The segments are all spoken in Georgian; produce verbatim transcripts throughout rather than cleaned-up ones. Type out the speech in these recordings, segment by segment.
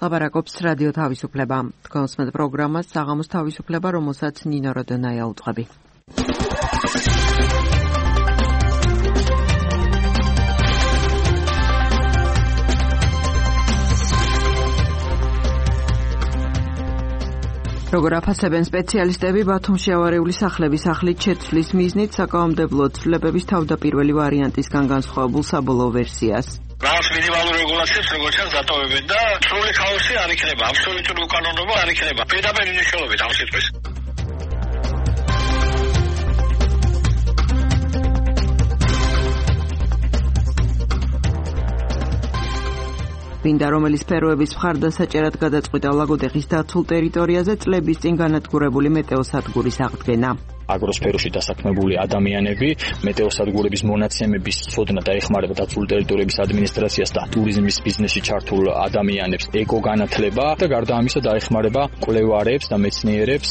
ლაპარაკობს რადიო თავისუფლება. თქვენს მეტ პროგრამას საღამოს თავისუფლება, რომელსაც ნინო როდონაია უწყები. როგორ აფასებენ სპეციალისტები ბათუმში ავარიული სახლების ახლით შეცვლის მიზნით საკანონმდებლო ცვლილებების თავდაპირველი ვარიანტისგან განსხვავებულ საბოლოო ვერსიას. Rās minimālu regulācijas, როგორც ჩანს, დატოვებენ და სრული ქაოსი არ იქნება, აბსოლუტური უკანონობა არ იქნება. პირდაპირ მნიშვნელობით ამ სიტყვის. ვინდა რომელი სფეროების მხარდასაჭერად გადაწყვიტა ლაგოდეხის დაცულ ტერიტორიაზე წლების წინ განადგურებული მეტეოსადგურის აღდგენა. აგროსფეროში დასაქმებული ადამიანები მეტეოსადგურების მონაცემების ცოდნა დაეხმარება დაცული ტერიტორიების ადმინისტრაციას და ტურიზმის ბიზნესში ჩართულ ადამიანებს ეკოგანათლება და გარდა ამისა დაეხმარება კვლევარებს და მეცნიერებს.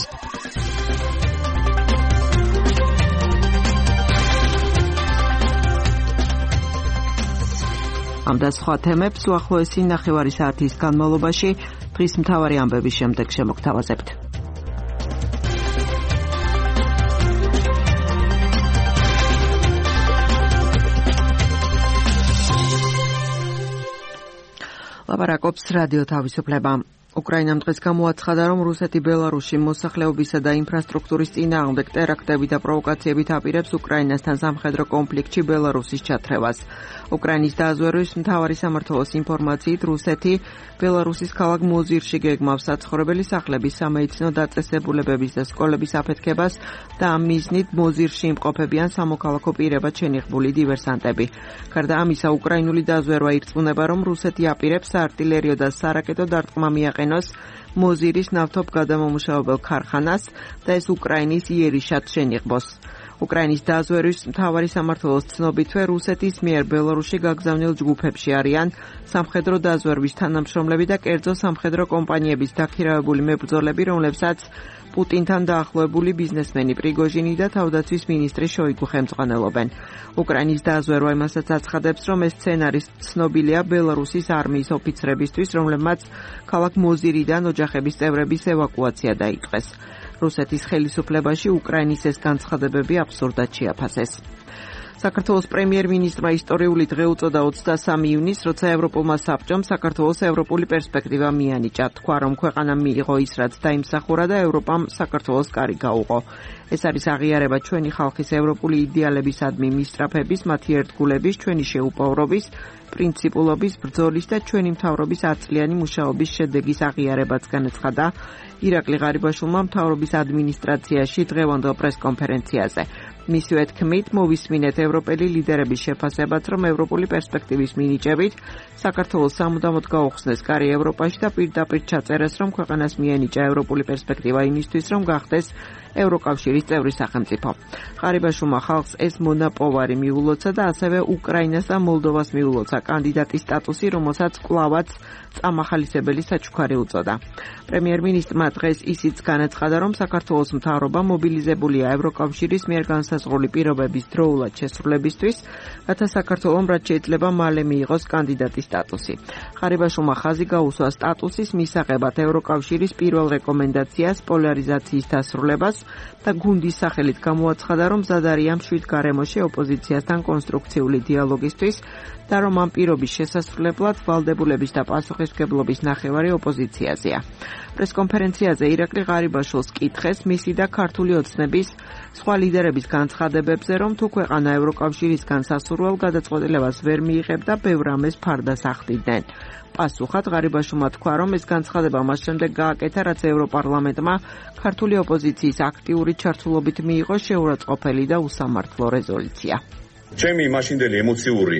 ამ და სხვა თემებს უახლოესი ნახევარი საათის განმავლობაში დღის მთავარი ამბების შემდეგ შემოგთავაზებთ. ლაპარაკობს რადიო თავისუფლება. უკრაინამ დღეს გამოაცხადა, რომ რუსეთი ბელარუსში მოსახლეობისა და ინფრასტრუქტურის წინააღმდეგ ტერაქტები და პროვოკაციებით აპირებს უკრაინასთან სამხედრო კონფლიქტში ბელარუსის ჩათრევას. უკრაინის დაზვერვის მთავარი სამმართველოს ინფორმაციით, რუსეთი ბელარუსის ქალაქ მოზირში გეგმავს საცხოვრებელი სახლების, სამედიცინო დაწესებულებების და სკოლების აფეთქებას და ამ მიზნით მოზირში იმყოფებიან სამოქალაქო პირებად შენიღბული დივერსანტები. გარდა ამისა, უკრაინული დაზვერვა ირწმუნება, რომ რუსეთი აპირებს საარტილერიო და სარაკეტო დარტყმა მიაყენოს მოზირის ნავთობგადამამუშავებელ ქარხანას და ეს უკრაინის იერიშად შენიღბოს. უკრაინის დაზვერვის მთავარი სამმართველოს ცნობითვე, რუსეთის მიერ ბელარუსში გაგზავნილ ჯგუფებში არიან სამხედრო დაზვერვის თანამშრომლები და კერძო სამხედრო კომპანიების დაქირავებული მებრძოლები, რომლებსაც პუტინთან დაახლოებული ბიზნესმენი პრიგოჟინი და თავდაცვის მინისტრი შოიგუ ხელმძღვანელობენ. უკრაინის დაზვერვა იმასაც აცხადებს, რომ ეს სცენარი ცნობილია ბელარუსის არმიის ოფიცრებისთვის, რომლებმაც ქალაქ მოზირიდან ოჯახების წევრების ევაკუაცია დაიწყეს. რუსეთის ხელისუფლებაში უკრაინის ეს განცხადებები აბსურდად შეაფასეს. საქართველოს პრემიერ-მინისტრმა ისტორიული დღე უწოდა ოცდასამი ივნისს, როცა ევროპულმა საბჭომ საქართველოს ევროპული პერსპექტივა მიანიჭა. თქვა, რომ ქვეყანამ მიიღო ის, რაც დაიმსახურა და ევროპამ საქართველოს კარი გაუღო. ეს არის აღიარება ჩვენი ხალხის ევროპული იდეალებისადმი მისწრაფების, მათი ერთგულების, ჩვენი შეუპოვრობის, პრინციპულობის, ბრძოლის და ჩვენი მთავრობის ათწლიანი მუშაობის შედეგის აღიარებაც განაცხადა ირაკლი ღარიბაშვილმა მთავრობის ადმინისტრაციაში დღევანდელ პრესკონფერენციაზე. მისივე თქმით, მოვისმინეთ ევროპელი ლიდერების შეფასებაც, რომ ევროპული პერსპექტივის მინიჭებით საქართველოს სამუდამოდ გაუხსნეს კარი ევროპაში და პირდაპირ ჩაწერეს, რომ ქვეყანას მიენიჭა ევროპული პერსპექტივა იმისთვის, რომ გახდეს ევროკავშირის წევრი სახელმწიფო. ღარიბაშვილმა ხალხს ეს მონაპოვარი მიულოცა და ასევე უკრაინას და მოლდოვას მიულოცა კანდიდატის სტატუსი, რომელსაც კვლავაც წამახალისებელი საჩუქარი უწოდა. პრემიერ-მინისტრმა დღეს ისიც განაცხადა, რომ საქართველოს მთავრობა მობილიზებულია ევროკავშირის მიერ განსაზღვრული პირობების დროულად შესრულებისთვის, რათა საქართველომ რაც შეიძლება მალე მიიღოს კანდიდატის სტატუსი. ღარიბაშვილმა ხაზი გაუსვა სტატუსის მისაღებად ევროკავშირის პირველ რეკომენდაციას პოლარიზაციის დასრულებას და გუნდის სახელით გამოაცხადა, რომ მზად არიან მშვიდ გარემოში ოპოზიციასთან კონსტრუქციული დიალოგისთვის და რომ ამ პირობის შესასრულებლად ვალდებულების და პასუხისმგებლობის ნახევარი ოპოზიციაზეა. პრესკონფერენციაზე ირაკლი ღარიბაშვილს კითხეს მისი და ქართული ოცნების სხვა ლიდერების განცხადებებზე, რომ თუ ქვეყანა ევროკავშირისგან სასურველ გადაწყვეტილებას ვერ მიიღებდა, ბევრ ამეს ფარდას ახდიდნენ. პასუხად ღარიბაშვილმა თქვა, რომ ეს განცხადება მას შემდეგ გააკეთა, რაც ევროპარლამენტმა ქართული ოპოზიციის აქტიური ჩართულობით მიიღო შეურაცხყოფელი და უსამართლო რეზოლუცია. ჩემი მაშინდელი ემოციური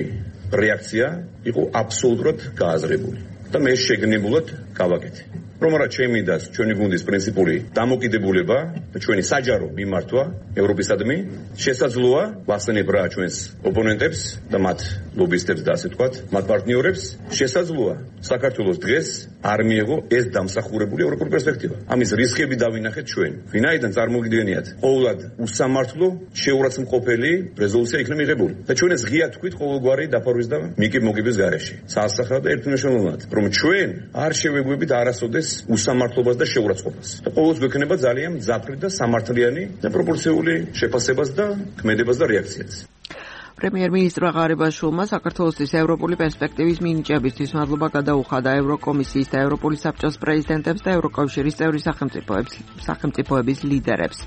რეაქცია იყო აბსოლუტურად გააზრებული და მე შეგნებულად გავაკეთე. რომ რა ჩემი და ჩვენი გუნდის პრინციპული დამოკიდებულება და ჩვენი საჯარო მიმართვა ევროპისადმი შესაძლოა ვახსენებ რა ჩვენს ოპონენტებს და მათ ლობისტებს და ასე ვთქვათ, მათ პარტნიორებს შესაძლოა საქართველოს დღეს არ მიიღო ეს დამსახურებული ევროპული პერსპექტივა. ამის რისკები დავინახეთ ჩვენ. ვინაიდან წარმოგიდგენიათ, ყოველად უსამართლო შეურაცხმყოფელი რეზოლუცია იქნება მიღებული და ჩვენ ეს ღია თქვით ყოველგვარი დაფარვის და მიკი მოგიბის გარეშე. სასახად და ერთმნიშვნელოვნად, რომ ჩვენ არ შევეგვი განმარტებებით არასოდეს უსამართლობას და შეურაცხყოფას. და ყოველთვის გვექნება ძალიან მძაფრი და სამართლიანი და პროპორციული შეფასებას და ქმედებას და რეაქციაც. პრემიერ-მინისტრმა ღარიბაშვილმა საქართველოსთვის ევროპული პერსპექტივის მინიჭებისთვის მადლობა გადაუხადა ევროკომისიის და ევროპული საბჭოს პრეზიდენტებს და ევროკავშირის წევრი სახელმწიფოებს, სახელმწიფოების ლიდერებს.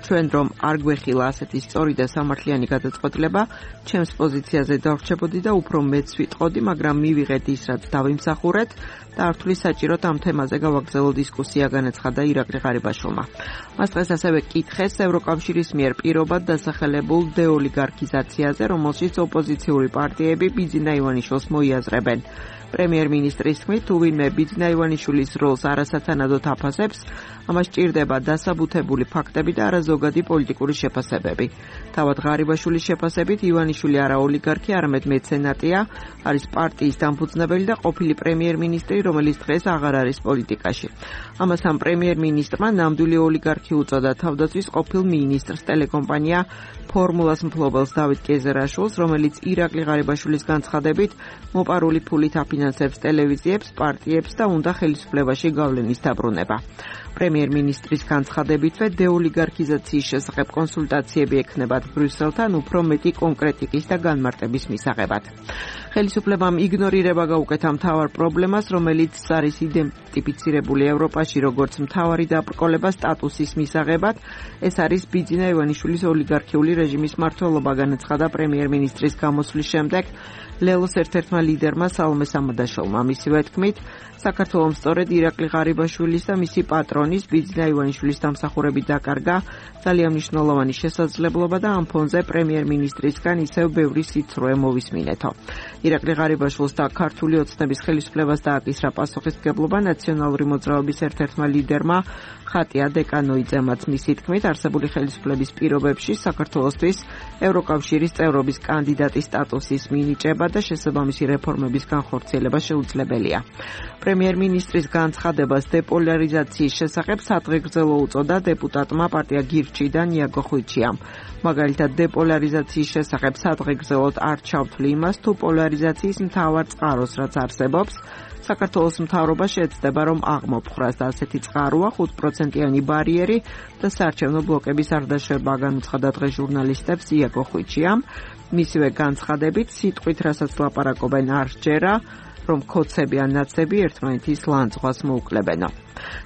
ჩვენ რომ არ გვეხილა ასეთი სწორი და სამართლიანი გადაწყვეტილება, ჩემს პოზიციაზე დავრჩებოდი და უფრო მეც ვიტყოდი, მაგრამ მივიღეთ ის, რაც დავიმსახურეთ და არ ვთვლი საჭიროდ ამ თემაზე გავაგრძელო დისკუსია, განაცხადა ირაკლი ღარიბაშვილმა. მას დღეს ასევე კითხეს ევროკავშირის მიერ პირობად დასახელებულ დეოლიგარქიზაციაზე, რომელშიც ოპოზიციური პარტიები ბიძინა ივანიშვილს მოიაზრებენ. პრემიერ-მინისტრის თქმით, თუ ვინმე ბიძინა ივანიშვილის როლს არასათანადოდ აფასებს, ამას სჭირდება დასაბუთებული ფაქტები და არა ზოგადი პოლიტიკური შეფასებები. თავად ღარიბაშვილის შეფასებით, ივანიშვილი არა ოლიგარქი, არამედ მეცენატია, არის პარტიის დამფუძნებელი და ყოფილი პრემიერ-მინისტრი, რომელიც დღეს აღარ არის პოლიტიკაში. ამას ამ პრემიერ-მინისტრმა ნამდვილი ოლიგარქი უწოდა თავდაცვის ყოფილ მინისტრს, ტელეკომპანია ფორმულას მფლობელს დავით კეზერაშვილს, რომელიც ირაკლი ღარიბაშვილის განცხადებით მოპარული ფულით აფინანსებს ტელევიზიებს, პარტიებს და უნდა ხელისუფლებაში გავლენის დაბრუნება. პრემიერ-მინისტრის განცხადებითვე დეოლიგარქიზაციის შესახებ კონსულტაციები ექნებათ ბრიუსელთან უფრო მეტი კონკრეტიკის და განმარტების მისაღებად. ხელისუფლებამ იგნორირება გაუკეთა მთავარ პრობლემას, რომელიც არის იდენტიფიცირებული ევროპაში როგორც მთავარი დაბრკოლება სტატუსის მისაღებად, ეს არის ბიძინა ივანიშვილის ოლიგარქიული რეჟიმის მმართველობა, განაცხადა პრემიერ-მინისტრის გამოსვლის შემდეგ ლელოს ერთ-ერთმა ლიდერმა სალომე სამადაშოვმა. მისივე თქმით, საქართველოს სწორედ ირაკლი ღარიბაშვილის და მისი პატრონის ბიძინა ივანიშვილის დამსახურებით დაკარგა ძალიან მნიშვნელოვანი შესაძლებლობა და ამ ფონზე პრემიერ-მინისტრისგან ისევ ბევრი სიცრუე მოვისმინეთო. ირაკლი ღარიბაშვილს და ქართული ოცნების ხელისუფლებას დააკისრა პასუხისმგებლობა ნაციონალური მოძრაობის ერთ-ერთმა ლიდერმა ხატია დეკანოიძემაც. მისი თქმით, არსებული ხელისუფლების პირობებში საქართველოსთვის ევროკავშირის წევრობის კანდიდატის სტატუსის მინიჭება და შესაბამისი რეფორმების განხორციელება შეუძლებელია. პრემიერ-მინისტრის განცხადებას დეპოლარიზაციის შესახებ სადღეგრძელო უწოდა დეპუტატმა პარტია გირჩიდან იაგო ხვიჩიამ. მაგალითად, დეპოლარიზაციის შესახებ სადღეგრძელოდ არ ჩავთვლი იმას, თუ პოლარიზაციის მთავარ წყაროს, რაც არსებობს, საქართველოს მთავრობა შეეცდება, რომ აღმოფხრას და ასეთი წყაროა ხუთ პროცენტიანი ბარიერი და საარჩევნო ბლოკების არ დაშვება, განუცხადა დღეს ჟურნალისტებს იაგო ხვიჩიამ. მისივე განცხადებით, სიტყვით რასაც ლაპარაკობენ არ სჯერა, რომ ქოცები ან ნაცები ერთმანეთის ლანძღვას მოუკლებენო.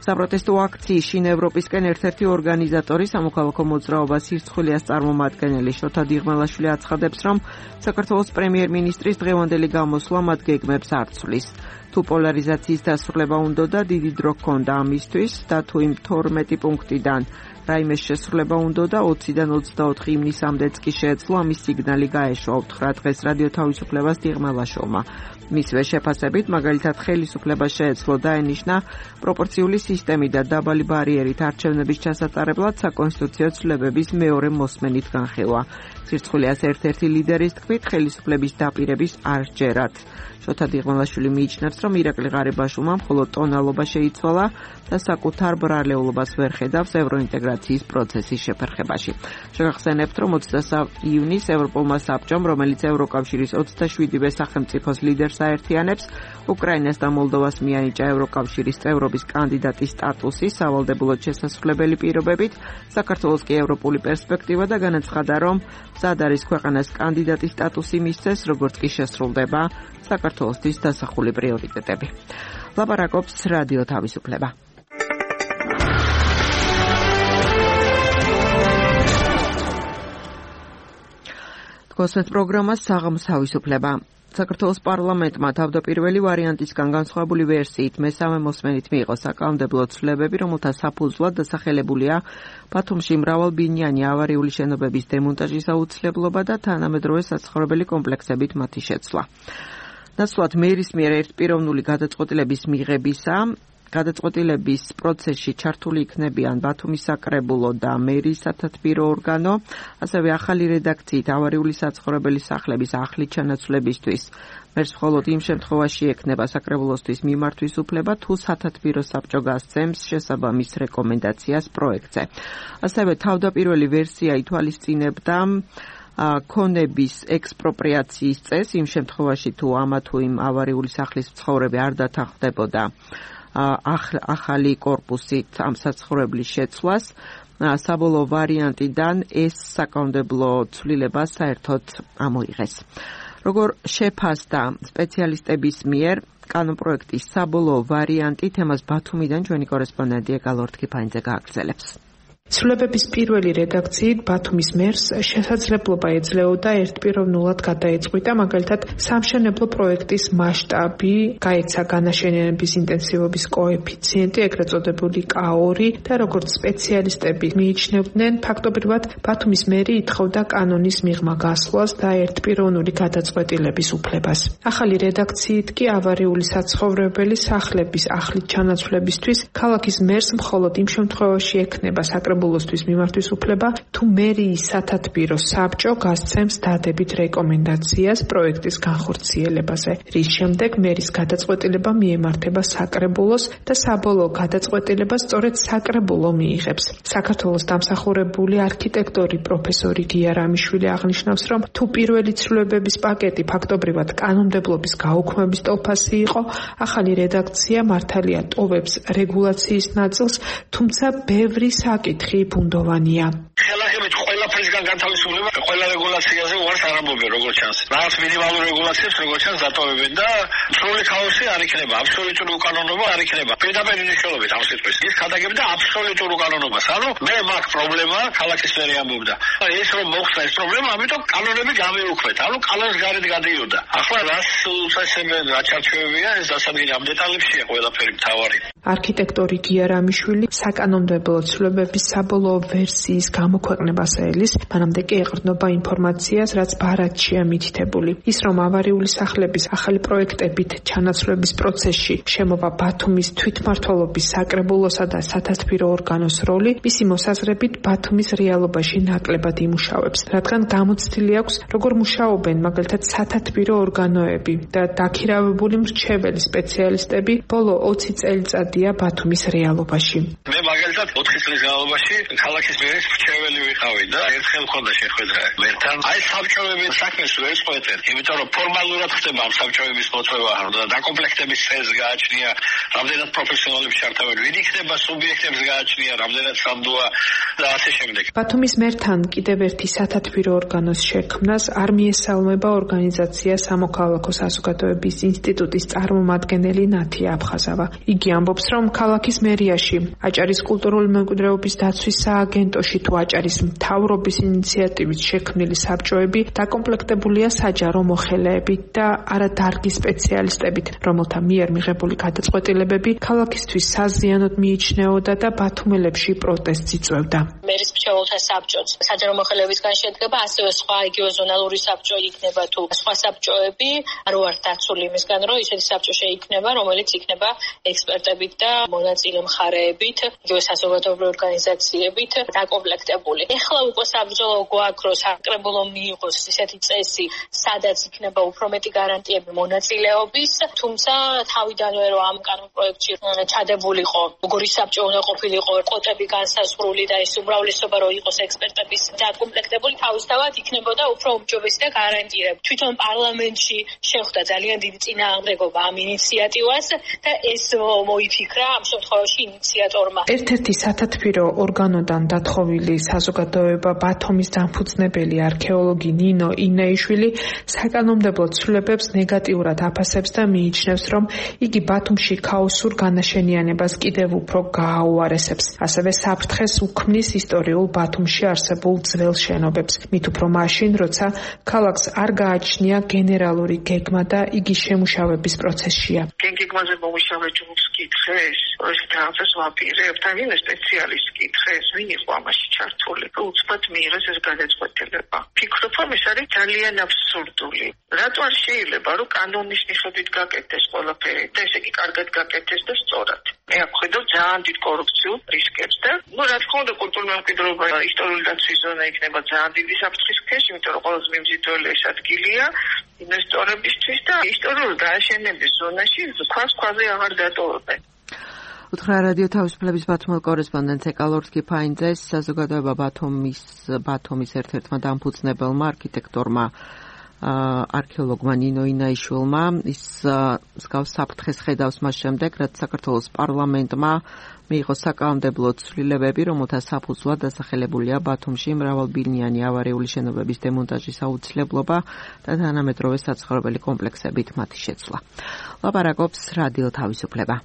საპროტესტო აქციის შინ ევროპისკენ ერთ-ერთი ორგანიზატორი სამოქალაქო მოძრაობა სირცხვილიას წარმომადგენელი შოთა დიღმელაშვილი აცხადებს, რომ საქართველოს პრემიერ-მინისტრის დღევანდელი გამოსვლა მათ გეგმებს არ ცვლის. თუ პოლარიზაციის დასრულება უნდოდა, დიდი დრო ჰქონდა ამისთვის და თუ იმ თორმეტი პუნქტიდან რაიმე შესრულება უნდოდა, ოციდან ოცდაოთხი ივნისამდეც კი შეეძლო ამის სიგნალი გაეშვა, უთხრა დღეს რადიო თავისუფლებას დიღმელაშვილმა. მისივე შეფასებით, მაგალითად ხელისუფლება შეეძლო დაენიშნა პროპორციული სისტემი და დაბალი ბარიერით არჩევნების ჩასატარებლად საკონსტიტუციო ცვლილებების მეორე მოსმენით განხილვა. სირცხვილიას ერთ-ერთი ლიდერის თქმით, ხელისუფლების დაპირების არ სჯერათ. შოთა დიღმელაშვილი მიიჩნევს, რომ ირაკლი ღარიბაშვილმა მხოლოდ ტონალობა შეიცვალა და საკუთარ ბრალეულობას ვერ ხედავს ევროინტეგრაციის პროცესის შეფერხებაში. შეგახსენებთ, რომ ოცდასამი ივნისს ევროპულმა საბჭომ, რომელიც ევროკავშირის ოცდაშვიდივე სახელმწიფოს ლიდერს აერთიანებს, უკრაინას და მოლდოვას მიანიჭა ევროკავშირის წევრობის კანდიდატის სტატუსი სავალდებულოდ შესასრულებელი პირობებით, საქართველოს კი ევროპული პერსპექტივა და განაცხადა, რომ მზად არის ქვეყანას კანდიდატის სტატუსი მისცეს, როგორც კი შესრულდება საქართველოსთვის დასახული პრიორიტეტები. ლაპარაკობს რადიო თავისუფლება. თქვენს პროგრამას საღამოს თავისუფლება. საქართველოს პარლამენტმა თავდაპირველი ვარიანტისგან განსხვავებული ვერსიით მესამე მოსმენით მიიღო საკანონმდებლო ცვლილებები, რომელთა საფუძვლად დასახელებულია ბათუმში მრავალბინიანი ავარიული შენობების დემონტაჟის აუცილებლობა და თანამედროვე საცხოვრებელი კომპლექსებით მათი შეცვლა. ნაცვლად მერის მიერ ერთპიროვნული გადაწყვეტილების მიღებისა, გადაწყვეტილების პროცესში ჩართული იქნებიან ბათუმის საკრებულო და მერის სათათბირო ორგანო, ასევე ახალი რედაქციით ავარიული საცხოვრებელი სახლების ახლით ჩანაცვლებისთვის. მერს მხოლოდ იმ შემთხვევაში ექნება საკრებულოსთვის მიმართვის უფლება, თუ სათათბირო საბჭო გასცემს შესაბამის რეკომენდაციას პროექტზე. ასევე თავდაპირველი ვერსია ითვალისწინებდა ქონების ექსპროპრიაციის წესს იმ შემთხვევაში, თუ ამა თუ იმ ავარიული სახლის მცხოვრები არ დათანხმდებოდა ახალი კორპუსით ამ საცხოვრებლის შეცვლას. საბოლოო ვარიანტიდან ეს საკანონმდებლო ცვლილება საერთოდ ამოიღეს. როგორ შეფასდა სპეციალისტების მიერ კანონპროექტის საბოლოო ვარიანტი, თემას ბათუმიდან ჩვენი კორესპონდენტი ეკალორთ კიფაინძე გააგრძელებს. ცვლილებების პირველი რედაქციით ბათუმის მერს შესაძლებლობა ეძლეოდა ერთპიროვნულად გადაეწყვიტა მაგალითად სამშენებლო პროექტის მასშტაბი, გაეცა განაშენიანების ინტენსივობის კოეფიციენტი, ეგრეთ წოდებული კა ორი და როგორც სპეციალისტები მიიჩნევდნენ, ფაქტობრივად ბათუმის მერი ითხოვდა კანონის მიღმა გასვლას და ერთპიროვნული გადაწყვეტილების უფლებას. ახალი რედაქციით კი ავარიული საცხოვრებელი სახლების ახლით ჩანაცვლებისთვის ქალაქის მერს მხოლოდ იმ შემთხვევაში ექნება საკრებულოსთვის მიმართვის უფლება, თუ მერიის სათათბირო საბჭო გასცემს დადებით რეკომენდაციას პროექტის განხორციელებაზე, რის შემდეგ მერის გადაწყვეტილება მიემართება საკრებულოს და საბოლოო გადაწყვეტილებას სწორედ საკრებულო მიიღებს. საქართველოს დამსახურებული არქიტექტორი პროფესორი გია რამიშვილი აღნიშნავს, რომ თუ პირველი ცვლილებების პაკეტი ფაქტობრივად კანონმდებლობის გაუქმების ტოლფასი იყო, ახალი რედაქცია მართალია ტოვებს რეგულაციის ნაწილს, თუმცა ბევრი საკითხი ბუნდოვანია. ხელახებით ყველაფრისგან განთავისუფლება ყველა რეგულაციაზე უარს არ ამბობენ, როგორც ჩანს. რაღაც მინიმალურ რეგულაციებს როგორც ჩანს დატოვებენ და სრული ქაოსი არ იქნება, აბსოლუტური უკანონობა არ იქნება. პირდაპირ მნიშვნელობით ამ სიტყვის ის გადაგებდა აბსოლუტურ უკანონობას. ანუ მე მაქვს პრობლემა, ქალაქის მერი ამბობდა. ეს რომ მოხდა ეს პრობლემა, ამიტომ კანონები გამეუქმეთ. ანუ კანონს გარეთ გადიოდა. ახლა რას უწესებენ, რა ჩარჩოებია, ეს დასადგენი ამ დეტალებშია ყველაფერი მთავარი. არქიტექტორი გია რამიშვილი საკანონმდებლო ცვლილებების საბოლოო ვერსიის გამოქვეყნებას ელის, მანამდე კი ეყრდნობა ინფორმაციას, რაც ბარათშია მითითებული. ის, რომ ავარიული სახლების ახალი პროექტებით ჩანაცვლების პროცესში შემოვა ბათუმის თვითმმართველობის საკრებულოსა და სათათბირო ორგანოს როლი, მისი მოსაზრებით ბათუმის რეალობაში ნაკლებად იმუშავებს, რადგან გამოცდილი აქვს, როგორ მუშაობენ მაგალითად სათათბირო ორგანოები და დაქირავებული მრჩეველი სპეციალისტები ბოლო ოცი წელიწადია ბათუმის რეალობაში. მე მაგალითად ოთხი წლის განმავლობაში ქალაქის მერის მრჩეველი ვიყავი და ერთხელ მქონდა შეხვედრა მერთან. აი საბჭოების საქმეს ვერ წყვეტენ, იმიტომ რომ ფორმალურად ხდება ამ საბჭოების მოწვევა და დაკომპლექტების წესს გააჩნია, რამდენად პროფესიონალებს ჩართავენ, ვინ იქნება სუბიექტებს გააჩნია, რამდენად სამდოა და ასე შემდეგ. ბათუმის მერთან კიდევ ერთი სათათბირო ორგანოს შექმნას არ მიესალმება ორგანიზაცია სამოქალაქო საზოგადოების ინსტიტუტის წარმომადგენელი ნათია აფხაზავა. იგი ამბობს, რომ ქალაქის მერიაში აჭარის კულტურული მემკვიდრეობის დაცვის სააგენტოში თუ აჭარის მთავრობის ინიციატივით შექმნილი საბჭოები დაკომპლექტებულია საჯარო მოხელეებით და არადარგის სპეციალისტებით, რომელთა მიერ მიღებული გადაწყვეტილებები ქალაქისთვის საზიანოდ მიიჩნეოდა და ბათუმელებში პროტესტს იწვევდა. მერის მრჩეველთა საბჭოც საჯარო მოხელეებისგან შედგება, ასევე სხვა იგივე ზონალური საბჭო იქნება თუ სხვა საბჭოები, არ ვართ დაცული იმისგან, რომ ისეთი საბჭო შეიქმნება, რომელიც იქნება ექსპერტებით და მონაწილე მხარეებით, იგივე საზოგადოებრივი ორგანიზაციებით დაკომპლექტებული. ეხლა უკვე საბრძოლო გვაქვს, რომ საკრებულო მიიღოს ისეთი წესი, სადაც იქნება უფრო მეტი გარანტიები მონაწილეობის, თუმცა თავიდანვე რომ ამ კანონპროექტში ჩადებულიყო, როგორი საბჭო უნდა ყოფილიყო, კოტები განსაზღვრული და ეს უმრავლესობა რომ იყოს ექსპერტების დაკომპლექტებული, თავისთავად იქნებოდა უფრო უმჯობესი და გარანტირებული. თვითონ პარლამენტში შეხვდა ძალიან დიდი წინააღმდეგობა ამ ინიციატივას და ეს მოიფიქრა ამ შემთხვევაში ინიციატორმა. ერთ-ერთი სათათბირო ორგანოდან დათხოვილი საზოგადოება ბათუმის დამფუძნებელი არქეოლოგი ნინო ინაიშვილი საკანონმდებლო ცვლილებებს ნეგატიურად აფასებს და მიიჩნევს, რომ იგი ბათუმში ქაოსურ განაშენიანებას კიდევ უფრო გააუარესებს. ასევე საფრთხეს უქმნის ისტორიულ ბათუმში არსებულ ძველ შენობებს, მით უფრო მაშინ, როცა ქალაქს არ გააჩნია გენერალური გეგმა და იგი შემუშავების პროცესშია. გეგმაზე მომუშავე ჯგუფს კითხეს, ეს თავის ვაპირებთ, ან ვინმე სპეციალისტს კითხეს, ვინ იყო ამაში ჩართული, უცბად მიიღეს ეს გადაწყვეტილება. ფიქრობ, რომ ეს არის ძალიან აბსურდული. რატო არ შეიძლება, რომ კანონის მიხედვით გაკეთდეს ყველაფერი და ესე იგი კარგად გაკეთდეს და სწორად. მე აქ ხედავ ძალიან დიდ კორუფციულ რისკებს და ნუ რა თქმა უნდა კულტურული მემკვიდრეობა ისტორიული დაცვის ზონა იქნება ძალიან დიდი საფრთხის ქვეშ, იმიტომ რომ ყველაზე მიმზიდველი ეს ადგილია ინვესტორებისთვის და ისტორიული გააშენების ზონაში ქვას ქვაზე აღარ დატოვებენ. უთხრა რადიო თავისუფლების ბათუმელ კორესპონდენტს ეკალორთ კიფაინძეს, საზოგადოება ბათუმის ბათუმის ერთ-ერთმა დამფუძნებელმა არქიტექტორმა არქეოლოგმა ნინო ინაიშვილმა ის მსგავს საფრთხეს ხედავს მას შემდეგ, რაც საქართველოს პარლამენტმა მიიღო საკანონმდებლო ცვლილებები, რომელთა საფუძვლად დასახელებულია ბათუმში მრავალბინიანი ავარიული შენობების დემონტაჟის აუცილებლობა და თანამედროვე საცხოვრებელი კომპლექსებით მათი შეცვლა. ლაპარაკობს რადიო თავისუფლება.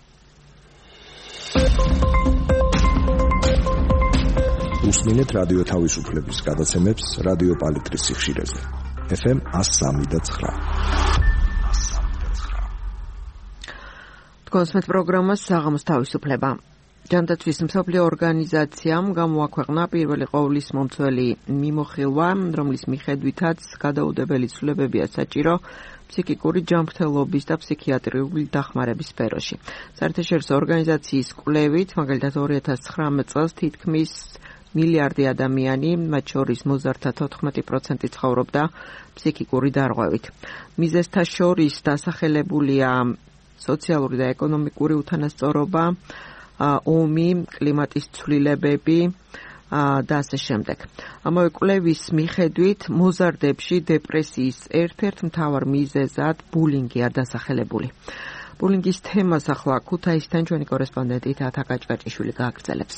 უსმინეთ რადიო თავისუფლების გადაცემებს რადიო პალიტრის სიხშირეზე. ეფ ემ one oh three point nine. თქვენს პროგრამას საღამოს თავისუფლება. ჯანდაცვის მსოფლიო ორგანიზაციამ გამოაქვეყნა პირველი ყოვლის მომცველი მიმოხილვა, რომლის მიხედვითაც გადაუდებელი ცვლილებებია საჭირო ფსიქიკური ჯანმრთელობის და ფსიქიატრიული დახმარების სფეროში. საერთაშორისო ორგანიზაციის კვლევით, მაგალითად ორი ათას ცხრამეტ წელს თითქმის მილიარდი ადამიანი, მათ შორის მოზარდთა თოთხმეტი პროცენტი ცხოვრობდა ფსიქიკური დარღვევით. მიზეზთა შორის დასახელებულია სოციალური და ეკონომიკური უთანასწორობა, ომი, კლიმატის ცვლილებები და ასე შემდეგ. ამავე კვლევის მიხედვით მოზარდებში დეპრესიის ერთ-ერთ მთავარ მიზეზად ბულინგია დასახელებული. ბულინგის თემას ახლა ქუთაისთან ჩვენი კორესპონდენტი თათა კაჭკაჭიშვილი გააგრძელებს.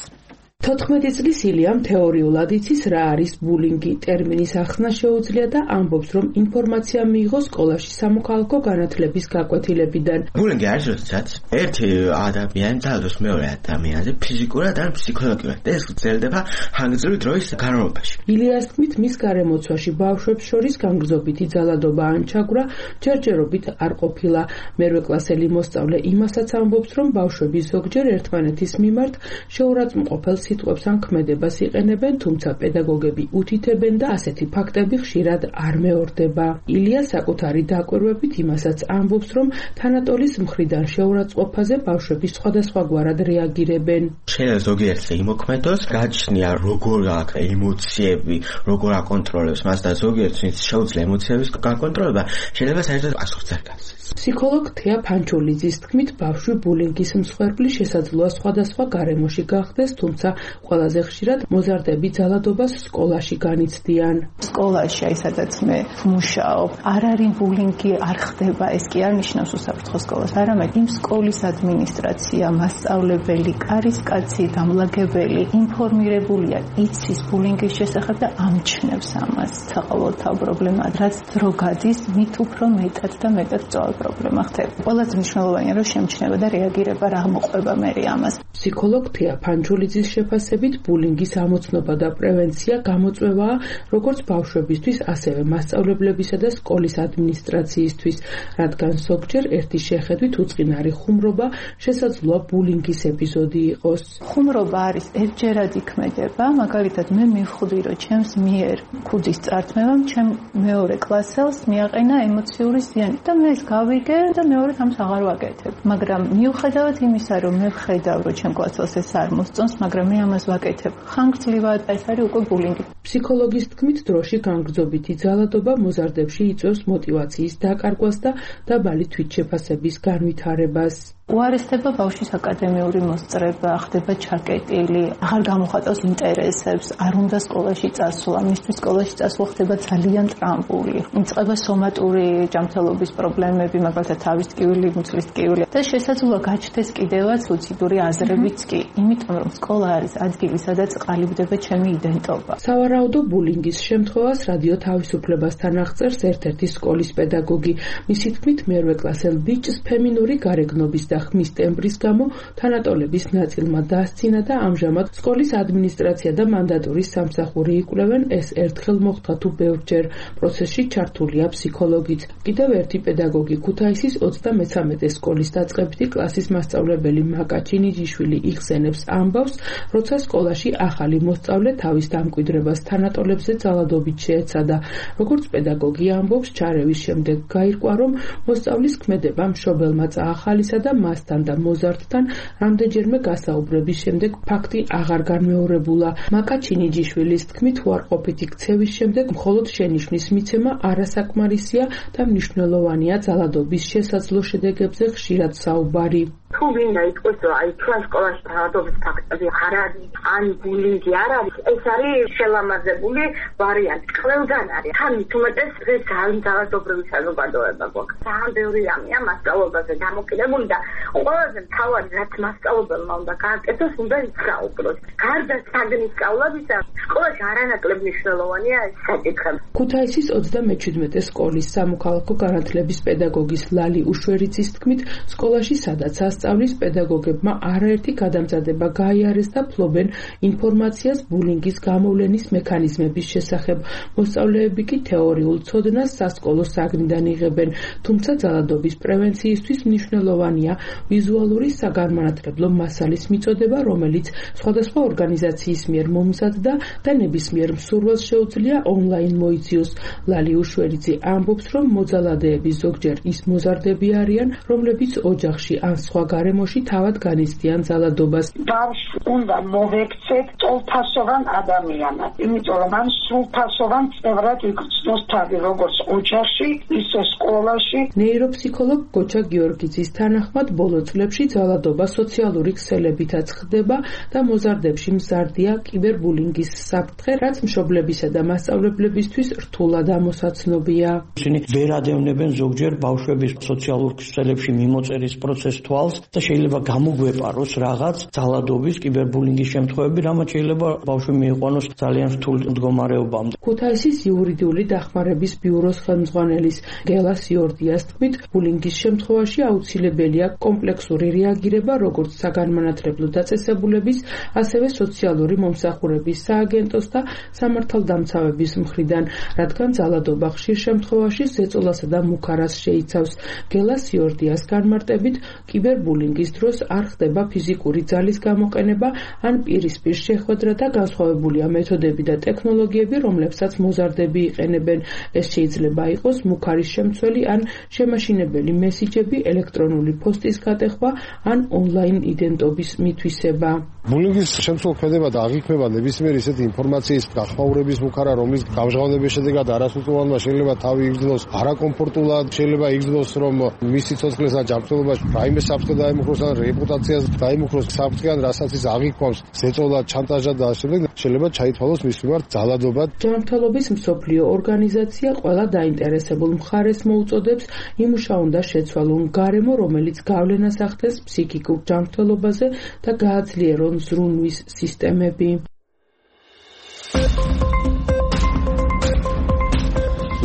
თოთხმეტი წლის ილიამ თეორიულად იცის რა არის ბულინგი. ტერმინის ახსნა შეუძლია და ამბობს, რომ ინფორმაცია მიიღო სკოლაში სამოქალაქო განათლების გაკვეთილებიდან. ბულინგი არის, როდესაც ერთი ადამიანი ძალადობს მეორე ადამიანზე ფიზიკურად ან ფსიქოლოგიურად და ეს გრძელდება ხანგრძლივი დროის განმავლობაში. ილიას თქმით, მის გარემოცვაში ბავშვებს შორის განგრძობითი ძალადობა ან ჩაგვრა ჯერჯერობით არ ყოფილა. მერვე კლასელი მოსწავლე იმასაც ამბობს, რომ ბავშვები ზოგჯერ ერთმანეთის მიმართ შეურაცხმყოფელ სიტყვებს ან ქმედებას იყენებენ, თუმცა პედაგოგები უთითებენ და ასეთი ფაქტები ხშირად არ მეორდება. ილია საკუთარი დაკვირვებით იმასაც ამბობს, რომ თანატოლის მხრიდან შეურაცხყოფაზე ბავშვები სხვადასხვაგვარად რეაგირებენ. შეიძლება ზოგიერთზე იმოქმედოს, გაჩნია როგორ აქვს ემოციები, როგორ აკონტროლებს მას და ზოგიერთს შეუძლია ემოციების გაკონტროლება, შეიძლება საერთოდ პასუხს არ გასცეს. ფსიქოლოგ თეა ფანჩულიძის თქმით, ბავშვი ბულინგის მსხვერპლი შესაძლოა სხვადასხვა გარემოში გახდეს, თუმცა ყველაზე ხშირად მოზარდები ძალადობას სკოლაში განიცდიან. სკოლაში, აი სადაც მე მუშაობ, არ არის ბულინგი, არ ხდება, ეს კი არ ნიშნავს უსაფრთხო სკოლას, არამედ იმ სკოლის ადმინისტრაცია, მასწავლებელი, კარისკაცი, დამლაგებელი ინფორმირებულია იცის ბულინგის შესახებ და ამჩნევს ამას. საყოველთაო პრობლემაა, რაც დრო გადის, მით უფრო მეტად და მეტად წავ პრობლემა ხდება. ყველაზე მნიშვნელოვანია, რომ შემჩნევა და რეაგირება რა მოყვება მე ამას. ფსიქოლოგ თეა ფანჩულიძის შეფასებით ბულინგის ამოცნობა და პრევენცია გამოწვევაა როგორც ბავშვებისთვის, ასევე მასწავლებლებისა და სკოლის ადმინისტრაციისთვის, რადგან ზოგჯერ ერთი შეხედვით უწყინარი ხუმრობა შესაძლოა ბულინგის ეპიზოდი იყოს. ხუმრობა არის ერთჯერადი ქმედება, მაგალითად მე მივხვდი, რომ ჩემს მიერ ქუდის წართმევამ ჩემ მეორე კლასელს მიაყენა ემოციური ზიანი და მე ეს გავიგე და მეორედ ამას აღარ ვაკეთებ. მაგრამ მიუხედავად იმისა, რომ მე ვხედავ, რომ ჩემ კლასელს ეს არ მოსწონს, მაგრამ მე ამას ვაკეთებ. ხანგრძლივად ეს არის უკვე ბულინგი. ფსიქოლოგის თქმით, დროში განგრძობითი ძალადობა მოზარდებში იწვევს მოტივაციის დაკარგვას და დაბალი თვითშეფასების განვითარებას. უარესდება ბავშვის აკადემიური მოსწრება, ხდება ჩაკეტილი, აღარ გამოხატავს ინტერესებს, არ უნდა სკოლაში წასვლა, მისთვის სკოლაში წასვლა ხდება ძალიან ტრამპული. იწყება სომატური ჯანმრთელობის პრობლემები, მაგალითად თავის ტკივილი, მუცლის ტკივილი და შესაძლოა გაჩნდეს კიდევაც სუიციდური აზრებიც კი, იმიტომ რომ სკოლა არის ადგილი, სადაც ყალიბდება ჩემი იდენტობა. სავარაუდო ბულინგის შემთხვევას რადიო თავისუფლებასთან აღწერს ერთ-ერთი სკოლის პედაგოგი. მისი თქმით, მერვე კლასელ ბიჭს ფემინური გარეგნობის და ხმის ტემბრის გამო თანატოლების ნაწილმა დასცინა და ამჟამად სკოლის ადმინისტრაცია და მანდატურის სამსახური იკვლევენ. ეს ერთხელ მოხდა თუ ბევრჯერ. პროცესში ჩართულია ფსიქოლოგიც. კიდევ ერთი პედაგოგი ქუთაისის ოცდამესამე სკოლის დაწყებითი კლასის მასწავლებელი მაკა ჩინიჯიშვილი იხსენებს ამბავს, როცა სკოლაში ახალი მოსწავლე თავის დამკვიდრებას თანატოლებზე ძალადობით შეეცადა. როგორც პედაგოგი ამბობს, ჩარევის შემდეგ გაირკვა, რომ მოსწავლის ქმედება მშობელმა წაახალისა და მასთან და მოზარდთან რამდენჯერმე გასაუბრების შემდეგ ფაქტი აღარ განმეორებულა. მაკა ჩინიჯიშვილის თქმით, უარყოფითი ქცევის შემდეგ მხოლოდ შენიშვნის მიცემა არასაკმარისია და მნიშვნელოვანია ძალადობის შესაძლო შედეგებზე ხშირად საუბარი. თუ თუ ვინდა იტყვის, რომ აი ჩვენ სკოლაში დაავადების ფაქტები არ არის, ან ბულინგი არ არის, ეს არის შელამაზებული ვარიანტი. ყველგან არის. თან თუმეტეს ეს ძალიან ძალადობრივი საზოგადოება გვაქვს. ძალიან ბევრი რამეა მასწავლებელზე დამოკიდებული და ყველაზე მთავარი რაც მასწავლებელმა უნდა გააკეთოს, უნდა ისწავლოს. გარდა საგნის სწავლებისა, სკოლაში არანაკლებ მნიშვნელოვანია ეს საკითხი. ქუთაისის ოცდამეჩვიდმეტე სკოლის სამოქალაქო განათლების პედაგოგის ლალი უშვერიძის თქმით, სკოლაში სადაც ასწავლის პედაგოგებმა არაერთი გადამზადება გაიარეს და ფლობენ ინფორმაციას ბულინგის გამოვლენის მექანიზმების შესახებ. მოსწავლეები კი თეორიულ ცოდნას სასკოლო საგნიდან იღებენ, თუმცა ძალადობის პრევენციისთვის მნიშვნელოვანია ვიზუალური საგანმანათლებლო მასალის მიწოდება, რომელიც სხვადასხვა ორგანიზაციის მიერ მომზადდა და ნებისმიერ მსურველს შეუძლია ონლაინ მოიძიოს. ლალი უშვერიძე ამბობს, რომ მოძალადეები ზოგჯერ ის მოზარდები არიან, რომლებიც ოჯახში ან სხვა გარემოში თავად განიცდიან ძალადობას. ბავშვს უნდა მოვექცეთ ტოლფასოვან ადამიანად, იმიტომ რომ მან სრულფასოვან წევრად იქცნოს თავი, როგორც ოჯახში, ისე სკოლაში. ნეიროფსიქოლოგ გოჩა გიორგიძის თანახმად, ბოლო წლებში ძალადობა სოციალური ქსელებითაც ხდება და მოზარდებში მზარდია კიბერბულინგის საფრთხე, რაც მშობლებისა და მასწავლებლებისთვის რთულად ამოსაცნობია. ისინი ვერ ადევნებენ ზოგჯერ ბავშვების სოციალურ ქსელებში მიმოწერის პროცესს თვალს და შეიძლება გამოგვეპაროს რაღაც ძალადობის კიბერბულინგის შემთხვევები, რამაც შეიძლება ბავშვი მიიყვანოს ძალიან რთულ მდგომარეობამდე. ქუთაისის იურიდიული დახმარების ბიუროს ხელმძღვანელის გელა სიორდიას თქმით, ბულინგის შემთხვევაში აუცილებელია კომპლექსური რეაგირება როგორც საგანმანათლებლო დაწესებულების, ასევე სოციალური მომსახურების სააგენტოს და სამართალდამცავების მხრიდან, რადგან ძალადობა ხშირ შემთხვევაში ზეწოლასა და მუქარას შეიცავს. გელა სიორდიას განმარტებით, კიბერბულინგის დროს არ ხდება ფიზიკური ძალის გამოყენება ან პირისპირ შეხვედრა და განსხვავებულია მეთოდები და ტექნოლოგიები, რომლებსაც მოზარდები იყენებენ. ეს შეიძლება იყოს მუქარის შემცველი ან შემაშინებელი მესიჯები, ელექტრონული პოსტის გატეხვა ან ონლაინ იდენტობის მითვისება. ბულინგის შემცველდება და აღიქმება ნებისმიერი ისეთი ინფორმაციის გახმაურების მუქარა, რომლის გამჟღავნების შედეგად არასრულწლოვანმა შეიძლება თავი იგრძნოს არაკომფორტულად, შეიძლება იგრძნოს, რომ მისი ცოცხლესა ჯანმრთელობაში რაიმე საფრთხე დაემუქროს ან რეპუტაციას დაემუქროს საფრთხე ან რასაც ის აღიქვამს, ზეწოლა, ჩანტაჟა და ასე შემდეგ, შეიძლება ჩაითვალოს მის მიმართ ძალადობა. ჯანმრთელობის მსოფლიო ორგანიზაცია ყველა დაინტერესებულ მხარეს მოუწოდებს იმუშაონ და შეცვალონ გარემო, რომელიც გავლენას ახდენს ფსიქიკურ ჯანმრთელობაზე და გააძლიერონ ზრუნვის სისტემები.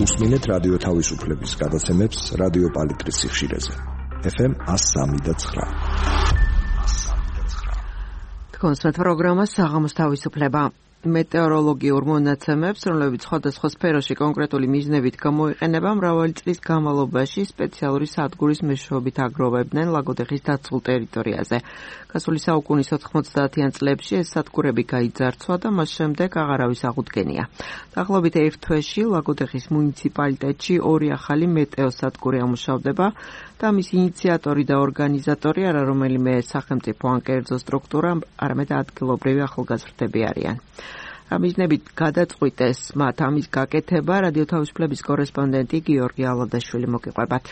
უსმინეთ რადიო თავისუფლების გადაცემებს რადიო პალიტრის სიხშირეზე. ეფ ემ one oh three point nine. კონსერტ პროგრამა საღამოს თავისუფლება. მეტეოროლოგიურ მონაცემებს, რომლებიც სხვადასხვა სფეროში კონკრეტული მიზნებით გამოიყენება, მრავალი წლის განმავლობაში სპეციალური სადგურის მეშვეობით აგროვებდნენ ლაგოდეხის დაცულ ტერიტორიაზე. გასული საუკუნის ოთხმოცდაათიან წლებში ეს სადგურები გაიძარცვა და მას შემდეგ აღარავის აღუდგენია. დაახლოებით ერთ თვეში ლაგოდეხის მუნიციპალიტეტში ორი ახალი მეტეოსადგური ამუშავდება და მის ინიციატორი და ორგანიზატორი არა რომელიმე სახელმწიფო ან კერძო სტრუქტურა, არამედ ადგილობრივი ახალგაზრდები არიან. ამიზნებით გადაწყვიტეს მათ ამის გაკეთება, რადიო თავისუფლების კორესპონდენტი გიორგი ალადაშვილი მოგიყვებათ.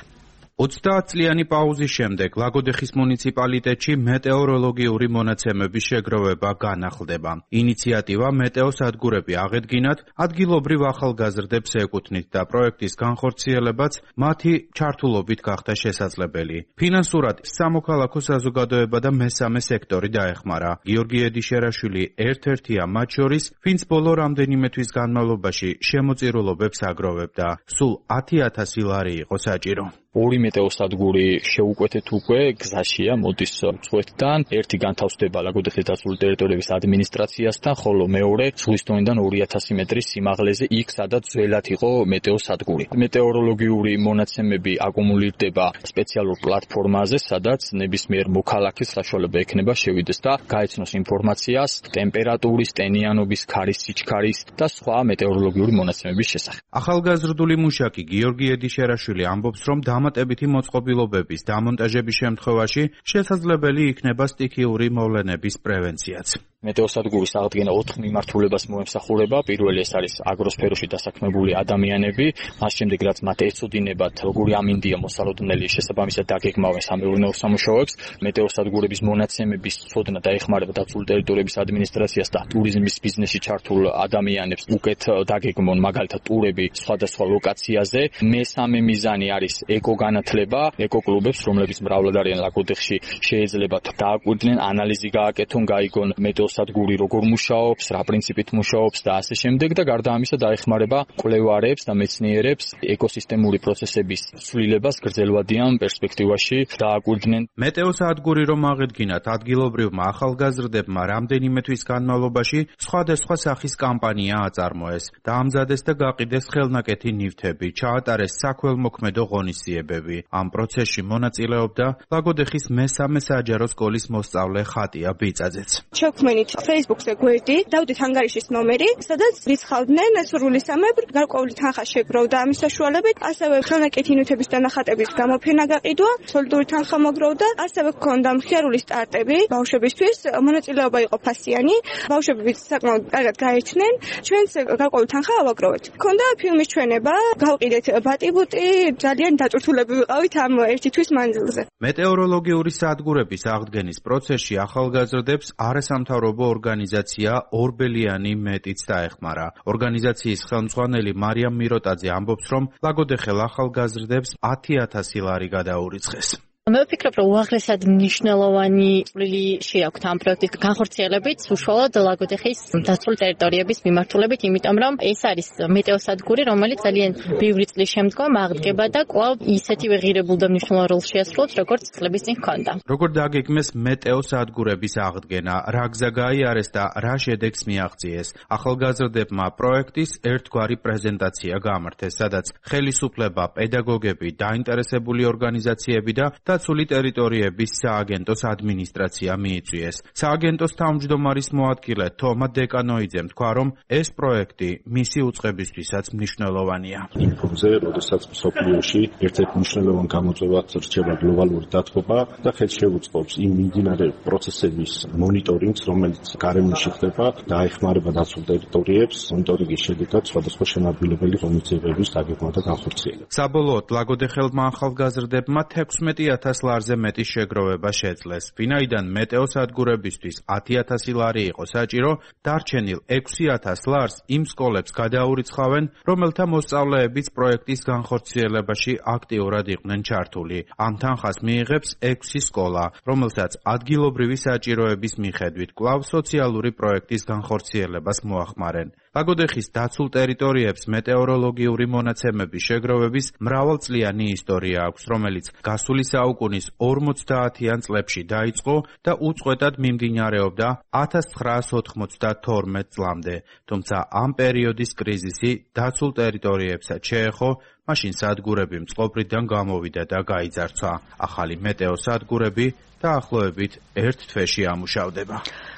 ოცდაათწლიანი პაუზის შემდეგ ლაგოდეხის მუნიციპალიტეტში მეტეოროლოგიური მონაცემების შეგროვება განახლდება. ინიციატივა მეტეოსადგურები აღედგინათ, ადგილობრივ ახალგაზრდებს ეკუთვნით და პროექტის განხორციელებაც მათი ჩართულობით გახდა შესაძლებელი. ფინანსურად სამოქალაქო საზოგადოება და მესამე სექტორი დაეხმარა. გიორგი ედიშერაშვილი ერთ-ერთია მათ შორის, ვინც ბოლო რამდენიმე თვის განმავლობაში შემოწირულობებს აგროვებდა. სულ ათი ათასი ლარი იყო საჭირო. ორი მეტეოსადგური შეუკვეთეთ უკვე გზაშია მოდის მწვეთიდან, ერთი განთავსდება ლაგოდეხის დაცული ტერიტორიების ადმინისტრაციასთან, ხოლო მეორე ზღვის დონიდან ორი ათასი მეტრის სიმაღლეზე, იქ სადაც ძველად იყო მეტეოსადგური. მეტეოროლოგიური მონაცემები აკუმულირდება სპეციალურ პლატფორმაზე, სადაც ნებისმიერ მოქალაქეს საშუალება ექნება შევიდეს და გაეცნოს ინფორმაციას ტემპერატურის, ტენიანობის, ქარის სიჩქარის და სხვა მეტეოროლოგიური მონაცემების შესახებ. ახალგაზრდული მუშაკი გიორგი ედიშერაშვილი ამბობს, რომ დამატებითი მოწყობილობების დამონტაჟების შემთხვევაში შესაძლებელი იქნება სტიქიური მოვლენების პრევენციაც. მეტეოსადგურის აღდგენა ოთხ მიმართულებას მოემსახურება. პირველი ეს არის აგროსფეროში დასაქმებული ადამიანები, მას შემდეგ რაც მათ ეცოდინებათ, როგორი ამინდია მოსალოდნელი, შესაბამისად დაგეგმავენ სამეურნეო სამუშაოებს. მეტეოსადგურების მონაცემების ცოდნა დაეხმარება დაცული ტერიტორიების ადმინისტრაციას და ტურიზმის ბიზნესში ჩართულ ადამიანებს უკეთ დაგეგმონ მაგალითად ტურები სხვადასხვა ლოკაციაზე. მესამე მიზანი არის ეკოგანათლება, ეკოკლუბებს, რომლებიც მრავლად არიან ლაგოდეხში, შეეძლებათ დააკვირდნენ, ანალიზი გააკეთონ, გაიგონ მეტეოსადგური როგორ მუშაობს, რა პრინციპით მუშაობს და ასე შემდეგ და გარდა ამისა დაეხმარება კვლევარებს და მეცნიერებს ეკოსისტემური პროცესების ცვლილებას გრძელვადიან პერსპექტივაში დააკვირდნენ. მეტეოსადგური რომ აღედგინათ, ადგილობრივმა ახალგაზრდებმა რამდენიმე თვის განმავლობაში სხვადასხვა სახის კამპანია აწარმოეს, დაამზადეს და გაყიდეს ხელნაკეთი ნივთები, ჩაატარეს საქველმოქმედო ღონისძიებები. ამ პროცესში მონაწილეობდა ლაგოდეხის მესამე საჯარო სკოლის მოსწავლე ხატია ბიწაძეც. შევქმნით Facebook-ზე გვერდი, დავდით ანგარიშის ნომერი, სადაც რიცხავდნენ სურვილისამებრ, გარკვეული თანხა შეგროვდა ამის საშუალებით, ასევე ხელნაკეთი ნივთების დანახატების გამოფენა გაყიდვა, სოლიდური თანხა მოგროვდა, ასევე ჰქონდა მხიარული სტარტები ბავშვებისთვის, მონაწილეობა იყო ფასიანი, ბავშვებიც საკმაოდ კარგად გაერთნენ, ჩვენც გარკვეული თანხა ავაგროვეთ. ჰქონდა ფილმის ჩვენება, გავყიდეთ ბატიბუტი, ძალიან დაწვრთულები ვიყავით ამ ერთი თვის მანძილზე. მეტეოროლოგიური სადგურების აღდგენის პროცესში ახალგაზრდებს არასამთავრობო ორგანიზაცია ორბელიანი მეტიც დაეხმარა. ორგანიზაციის ხელმძღვანელი მარიამ მიროტაძე ამბობს, რომ ლაგოდეხელ ახალგაზრდებს ათი ათასი ლარი გადაურიცხეს. მე ვფიქრობ, რომ უაღრესად მნიშვნელოვანი წვლილი შეაქვთ ამ პროექტის განხორციელებით უშუალოდ ლაგოდეხის დაცული ტერიტორიების მიმართულებით, იმიტომ რომ ეს არის მეტეოსადგური, რომელიც ძალიან ბევრი წლის შემდგომ აღდგება და კვლავ ისეთივე ღირებულ და მნიშვნელოვან როლს შეასრულებს, როგორც წლების წინ ჰქონდა. როგორ დაგეგმეს მეტეოსადგურების აღდგენა, რა გზა გაიარეს და რა შედეგს მიაღწიეს. ახალგაზრდებმა პროექტის ერთგვარი პრეზენტაცია გამართეს, სადაც ხელისუფლება, პედაგოგები, დაინტერესებული ორგანიზაციები და დაცული ტერიტორიების სააგენტოს ადმინისტრაცია მიიწვიეს. სააგენტოს თავმჯდომარის მოადგილე თომა დეკანოიძემ თქვა, რომ ეს პროექტი მისი უწყებისთვისაც მნიშვნელოვანია. იმ ფონზე, როდესაც მსოფლიოში ერთ-ერთ მნიშვნელოვან გამოწვევად რჩება გლობალური დათბობა და ხელს შეუწყობს იმ მიმდინარე პროცესების მონიტორინგს, რომელიც გარემოში ხდება და აეხმარება დაცულ ტერიტორიებს, მონიტორინგის შედეგად სხვადასხვა შემადგენლობელი ღონისძიებების დაგეგმა და განხორციელება. საბოლოოდ ლაგოდეხელმა ახალგაზრდებმა თექვსმეტი ათას ლარზე მეტი შეგროვება შეძლეს. ვინაიდან მეტეოსადგურებისთვის ათი ათასი ლარი იყო საჭირო, დარჩენილ ექვსი ათას ლარს იმ სკოლებს გადაურიცხავენ, რომელთა მოსწავლეებიც პროექტის განხორციელებაში აქტიურად იყვნენ ჩართული. ამ თანხას მიიღებს ექვსი სკოლა, რომელსაც ადგილობრივი საჭიროების მიხედვით კვლავ სოციალური პროექტის განხორციელებას მოახმარენ. ლაგოდეხის დაცულ ტერიტორიებს მეტეოროლოგიური მონაცემების შეგროვების მრავალწლიანი ისტორია აქვს, რომელიც გასული საუკუნის ორმოცდაათიან წლებში დაიწყო და უწყვეტად მიმდინარეობდა ათას ცხრაას ოთხმოცდათორმეტ წლამდე. თუმცა ამ პერიოდის კრიზისი დაცულ ტერიტორიებსაც შეეხო, მაშინ სადგურები მწყობრიდან გამოვიდა და გაიძარცვა. ახალი მეტეოსადგურები დაახლოებით ერთ თვეში ამუშავდება.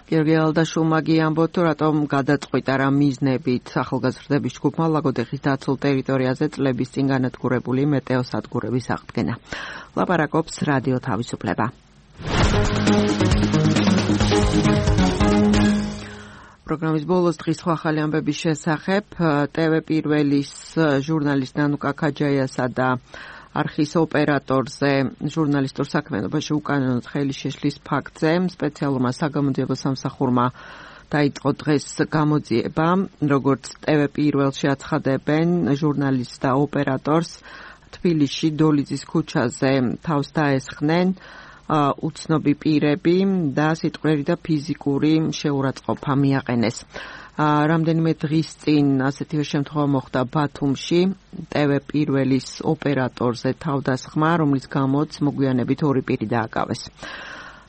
გიორგი ალდაშულმა გიამბოთ, რატომ გადაწყვიტა რა მიზნებით ახალგაზრდების ჯგუფმა ლაგოდეხის დაცულ ტერიტორიაზე წლების წინ განადგურებული მეტეოსადგურების აღდგენა. ლაპარაკობს რადიო თავისუფლება. პროგრამის ბოლოს დღის ახალი ამბების შესახებ ტევ პირველის ჟურნალისტ ნანუკა ქაჯაიასა და არხის ოპერატორზე ჟურნალისტურ საქმიანობაში უკანონოდ ხელი შეშლის ფაქტზე სპეციალურმა საგამოძიებო სამსახურმა დაიწყო დღეს გამოძიება, როგორც ტევ პირველში აცხადებენ ჟურნალისტს და ოპერატორს თბილისში დოლიძის ქუჩაზე თავს დაესხნენ უცნობი პირები და სიტყვიერი და ფიზიკური შეურაცხყოფა მიაყენეს. რამდენიმე დღის წინ ასეთივე შემთხვევა მოხდა ბათუმში ტევ პირველის ოპერატორზე თავდასხმა, რომლის გამოც მოგვიანებით ორი პირი დააკავეს.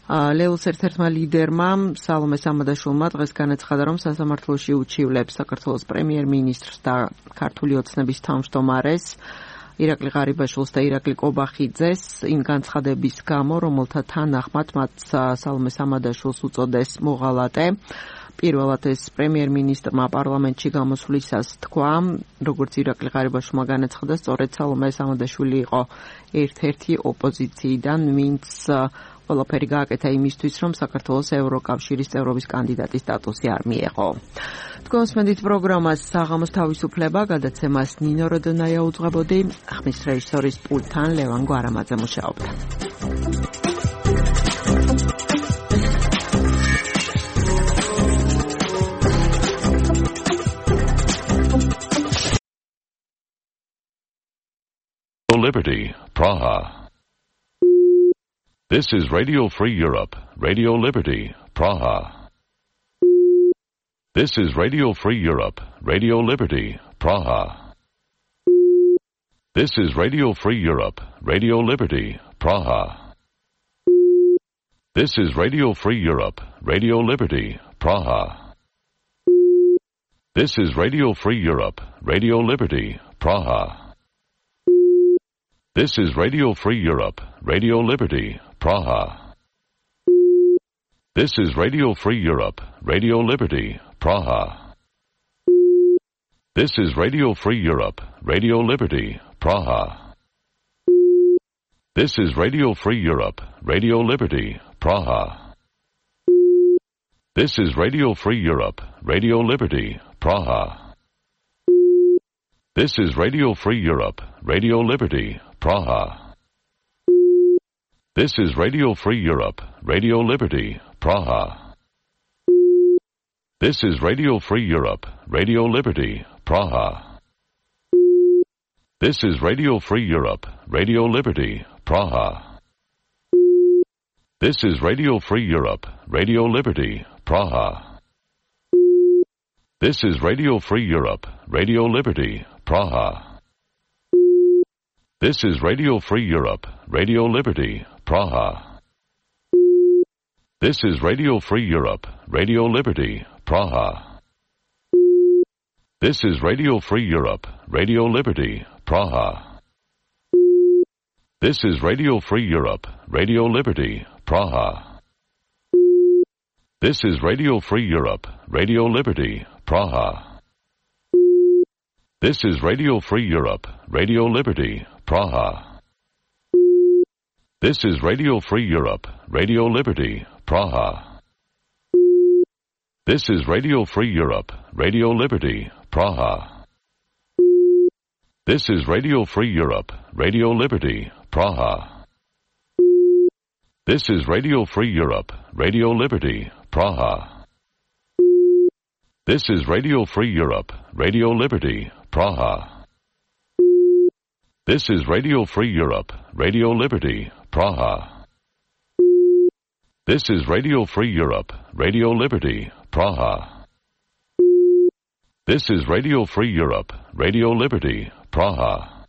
ლეულს ერთ-ერთმა ლიდერმა სალომე სამადაშვილმა დღეს განაცხადა, რომ სასამართლოში უჩივლებს საქართველოს პრემიერ-მინისტრს და ქართული ოცნების თავმჯდომარეს ირაკლი ღარიბაშვილს და ირაკლი კობახიძეს იმ განცხადების გამო, რომელთა თანახმად მათ სალომე სამადაშვილს უწოდეს მოღალატე. პირველად ეს პრემიერ-მინისტრმა პარლამენტში გამოსვლისას თქვა, როგორც ირაკლი ღარიბაშვილმა განაცხადა, სწორედ სალომე სამადაშვილი იყო ერთ-ერთი ოპოზიციიდან, ვინც ყველაფერი გააკეთა იმისთვის, რომ საქართველოს ევროკავშირის წევრობის კანდიდატის სტატუსი არ მიეღო. თქვენს მედით პროგრამას საღამოს თავისუფლება, გადაცემას ნინო როდონაია უძღვებოდი, ხმის რეჟისორის პულტთან ლევან გვარამაძე მუშაობდა. Liberty, Praha. This is Radio Free Europe, Radio Liberty, Praha. This is Radio Free Europe, Radio Liberty, Praha. This is Radio Free Europe, Radio Liberty, Praha. This is Radio Free Europe, Radio Liberty, Praha. This is Radio Free Europe, Radio Liberty, Praha. This is Radio Free Europe, Radio Liberty, Praha. This is Radio Free Europe, Radio Liberty, Praha. This is Radio Free Europe, Radio Liberty, Praha. This is Radio Free Europe, Radio Liberty, Praha. This is Radio Free Europe, Radio Liberty, Praha. This is Radio Free Europe, Radio Liberty, Praha. This is Radio Free Europe, Radio Liberty, Praha. This is Radio Free Europe, Radio Liberty, Praha. This is Radio Free Europe, Radio Liberty, Praha. This is Radio Free Europe, Radio Liberty, Praha. This is Radio Free Europe, Radio Liberty, Praha. This is Radio Free Europe, Radio Liberty, Praha. This is Radio Free Europe, Radio Liberty, Praha. This is Radio Free Europe, Radio Liberty, Praha. This is Radio Free Europe, Radio Liberty, Praha. This is Radio Free Europe, Radio Liberty, Praha. This is Radio Free Europe, Radio Liberty, Praha. This is Radio Free Europe, Radio Liberty, Praha. This is Radio Free Europe, Radio Liberty, Praha. This is Radio Free Europe, Radio Liberty, Praha. This is Radio Free Europe, Radio Liberty, Praha. This is Radio Free Europe, Radio Liberty, Praha. This is Radio Free Europe, Radio Liberty, Praha. This is Radio Free Europe, Radio Liberty, Praha.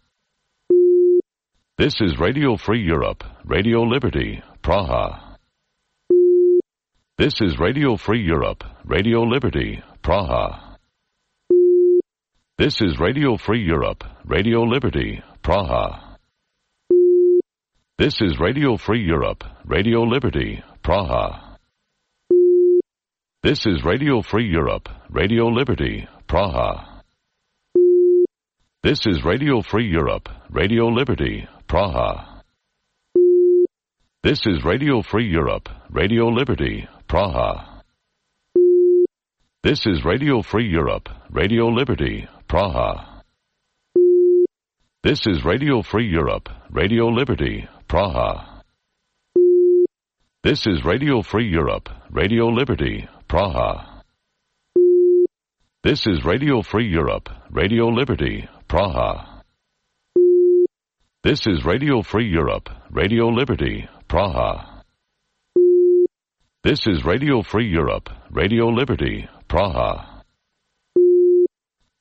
This is Radio Free Europe, Radio Liberty, Praha. This is Radio Free Europe, Radio Liberty, Praha. This is Radio Free Europe, Radio Liberty, Praha. This is Radio Free Europe, Radio Liberty, Praha. This is Radio Free Europe, Radio Liberty, Praha. This is Radio Free Europe, Radio Liberty, Praha. This is Radio Free Europe, Radio Liberty, Praha. This is Radio Free Europe, Radio Liberty, Praha. This is Radio Free Europe, Radio Liberty, Praha. This is Radio Free Europe, Radio Liberty, Praha. This is Radio Free Europe, Radio Liberty, Praha. This is Radio Free Europe, Radio Liberty, Praha. This is Radio Free Europe, Radio Liberty, Praha. This is Radio Free Europe, Radio Liberty, Praha.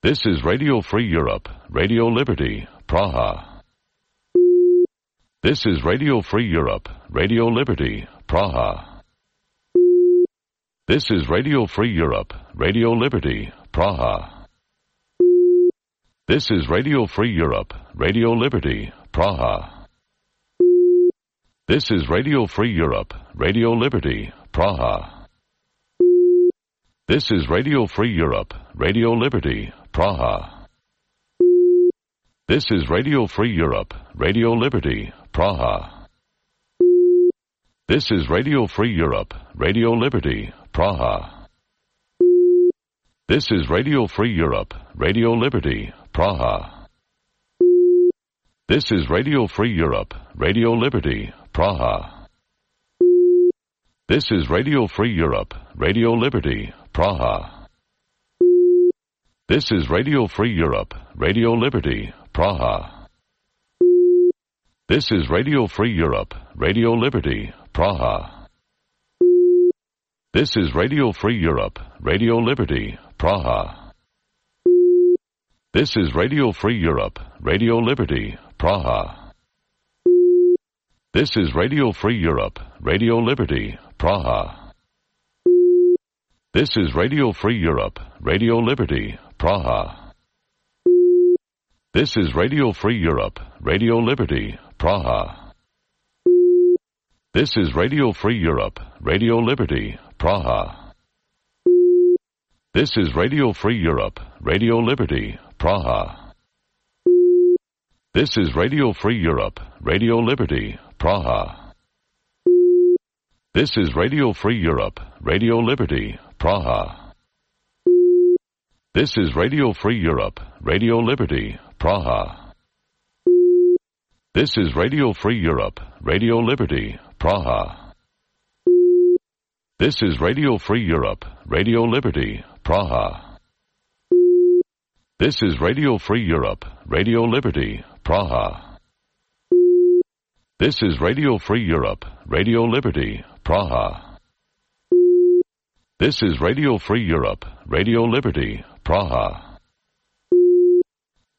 This is Radio Free Europe, Radio Liberty, Praha. This is Radio Free Europe, Radio Liberty, Praha. This is Radio Free Europe, Radio Liberty, Praha. This is Radio Free Europe, Radio Liberty, Praha. This is Radio Free Europe, Radio Liberty, Praha. This is Radio Free Europe, Radio Liberty, Praha. This is Radio Free Europe, Radio Liberty, Praha. This is Radio Free Europe, Radio Liberty, Praha. This is Radio Free Europe, Radio Liberty, Praha. This is Radio Free Europe, Radio Liberty, Praha. This is Radio Free Europe, Radio Liberty, Praha. This is Radio Free Europe, Radio Liberty, Praha. This is Radio Free Europe, Radio Liberty, Praha. This is Radio Free Europe, Radio Liberty, Praha. This is Radio Free Europe, Radio Liberty, Praha. This is Radio Free Europe, Radio Liberty, Praha. This is Radio Free Europe, Radio Liberty, Praha. This is Radio Free Europe, Radio Liberty, Praha. This is Radio Free Europe, Radio Liberty, Praha. This is Radio Free Europe, Radio Liberty, Praha. This is Radio Free Europe, Radio Liberty, Praha. This is Radio Free Europe, Radio Liberty, Praha. This is Radio Free Europe, Radio Liberty, Praha. This is Radio Free Europe, Radio Liberty, Praha. This is Radio Free Europe, Radio Liberty, Praha. This is Radio Free Europe, Radio Liberty, Praha. This is Radio Free Europe, Radio Liberty, Praha. This is Radio Free Europe, Radio Liberty, Praha.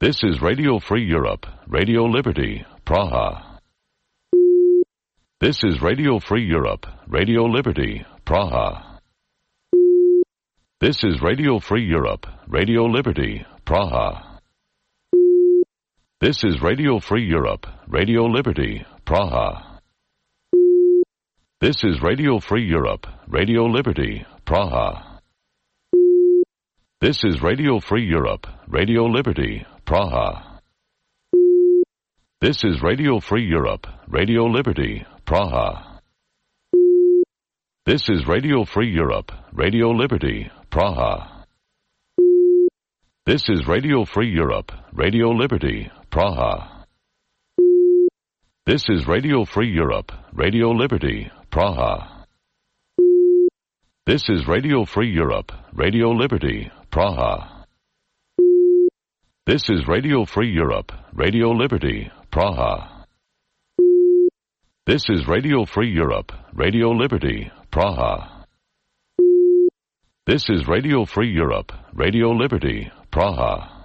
This is Radio Free Europe, Radio Liberty, Praha. This is Radio Free Europe, Radio Liberty, Praha. This is Radio Free Europe, Radio Liberty, Praha. This is Radio Free Europe, Radio Liberty, Praha. This is Radio Free Europe, Radio Liberty, Praha. This is Radio Free Europe, Radio Liberty, Praha. This is Radio Free Europe, Radio Liberty, Praha. This is Radio Free Europe, Radio Liberty, Praha. This is Radio Free Europe, Radio Liberty, Praha. This is Radio Free Europe, Radio Liberty, Praha. This is Radio Free Europe, Radio Liberty, Praha. This is Radio Free Europe, Radio Liberty, Praha. This is Radio Free Europe, Radio Liberty, Praha. This is Radio Free Europe, Radio Liberty, Praha.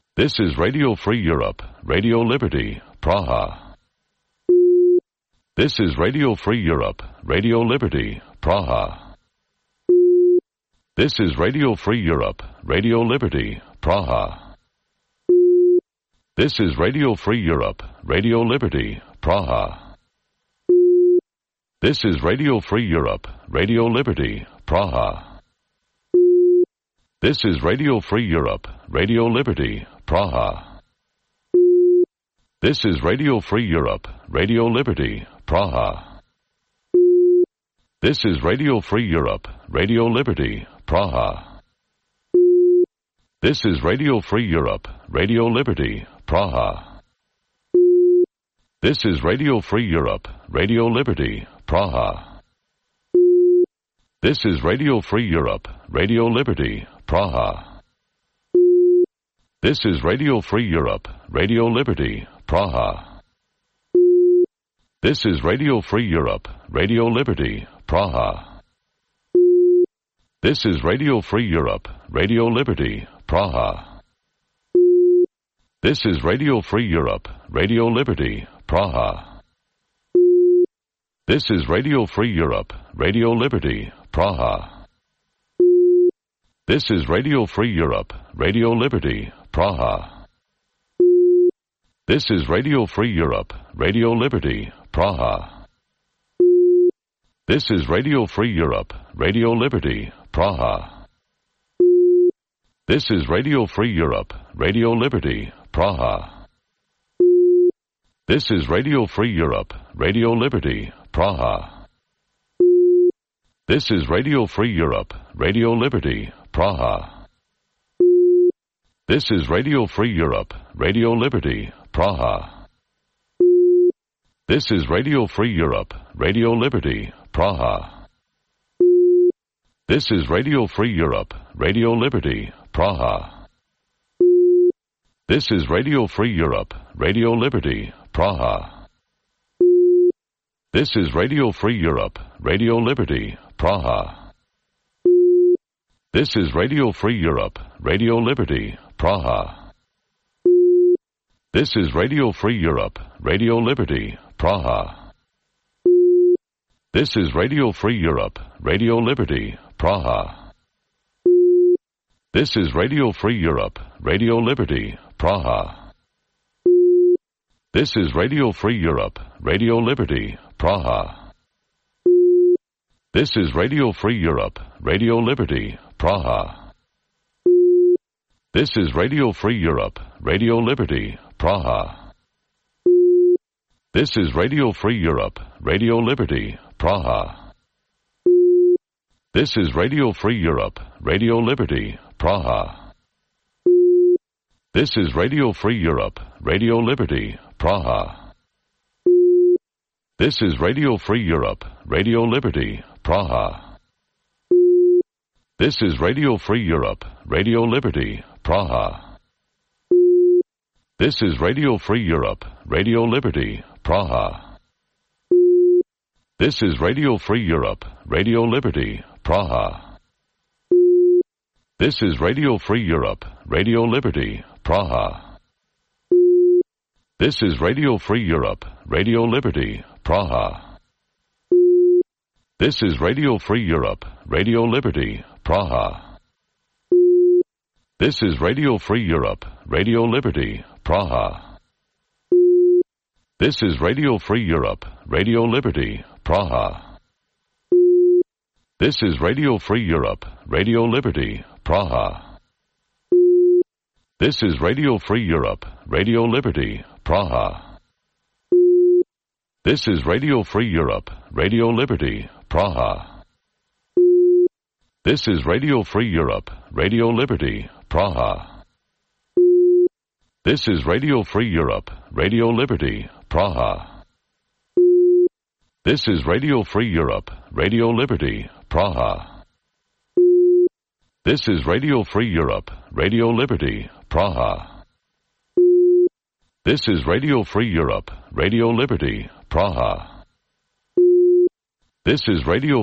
This is Radio Free Europe, Radio Liberty, Praha. This is Radio Free Europe, Radio Liberty, Praha. This is Radio Free Europe, Radio Liberty, Praha. This is Radio Free Europe, Radio Liberty, Praha. This is Radio Free Europe, Radio Liberty, Praha. This is Radio Free Europe, Radio Liberty, Praha. This is Radio Free Europe, Radio Liberty, Praha. This is Radio Free Europe, Radio Liberty, Praha. This is Radio Free Europe, Radio Liberty, Praha. This is Radio Free Europe, Radio Liberty, Praha. This is Radio Free Europe, Radio Liberty, Praha. This is Radio Free Europe, Radio Liberty, Praha. This is Radio Free Europe, Radio Liberty, Praha. This is Radio Free Europe, Radio Liberty, Praha. This is Radio Free Europe, Radio Liberty, Praha. This is Radio Free Europe, Radio Liberty, Praha. This is Radio Free Europe, Radio Liberty, Praha. This is Radio Free Europe, Radio Liberty, Praha. This is Radio Free Europe, Radio Liberty, Praha. This is Radio Free Europe, Radio Liberty, Praha. This is Radio Free Europe, Radio Liberty, Praha. This is Radio Free Europe, Radio Liberty, Praha. This is Radio Free Europe, Radio Liberty, Praha. This is Radio Free Europe, Radio Liberty, Praha. This is Radio Free Europe, Radio Liberty, Praha. This is Radio Free Europe, Radio Liberty, Praha. This is Radio Free Europe, Radio Liberty, Praha. This is Radio Free Europe, Radio Liberty, Praha. This is Radio Free Europe, Radio Liberty, Praha. This is Radio Free Europe, Radio Liberty, Praha. This is Radio Free Europe, Radio Liberty, Praha. This is Radio Free Europe, Radio Liberty, Praha. This is Radio Free Europe, Radio Liberty, Praha. This is Radio Free Europe, Radio Liberty, Praha. This is Radio Free Europe, Radio Liberty, Praha. This is Radio Free Europe, Radio Liberty, Praha. This is Radio Free Europe, Radio Liberty, Praha. This is Radio Free Europe, Radio Liberty, Praha. This is Radio Free Europe, Radio Liberty, Praha. This is Radio Free Europe, Radio Liberty, Praha. This is Radio Free Europe, Radio Liberty, Praha. This is Radio Free Europe, Radio Liberty, Praha. This is Radio Free Europe, Radio Liberty, Praha. This is Radio Free Europe, Radio Liberty, Praha. This is Radio Free Europe, Radio Liberty, Praha. This is Radio Free Europe, Radio Liberty, Praha. This is Radio Free Europe, Radio Liberty, Praha. This is Radio Free Europe, Radio Liberty, Praha. This is Radio Free Europe, Radio Liberty, Praha. This is Radio Free Europe, Radio Liberty, Praha. This is Radio Free Europe, Radio Liberty, Praha. This is Radio Free Europe, Radio Liberty, Praha. This is Radio Free Europe, Radio Liberty, Praha. This is Radio Free Europe, Radio Liberty, Praha. This is Radio Free Europe, Radio Liberty, Praha. This is Radio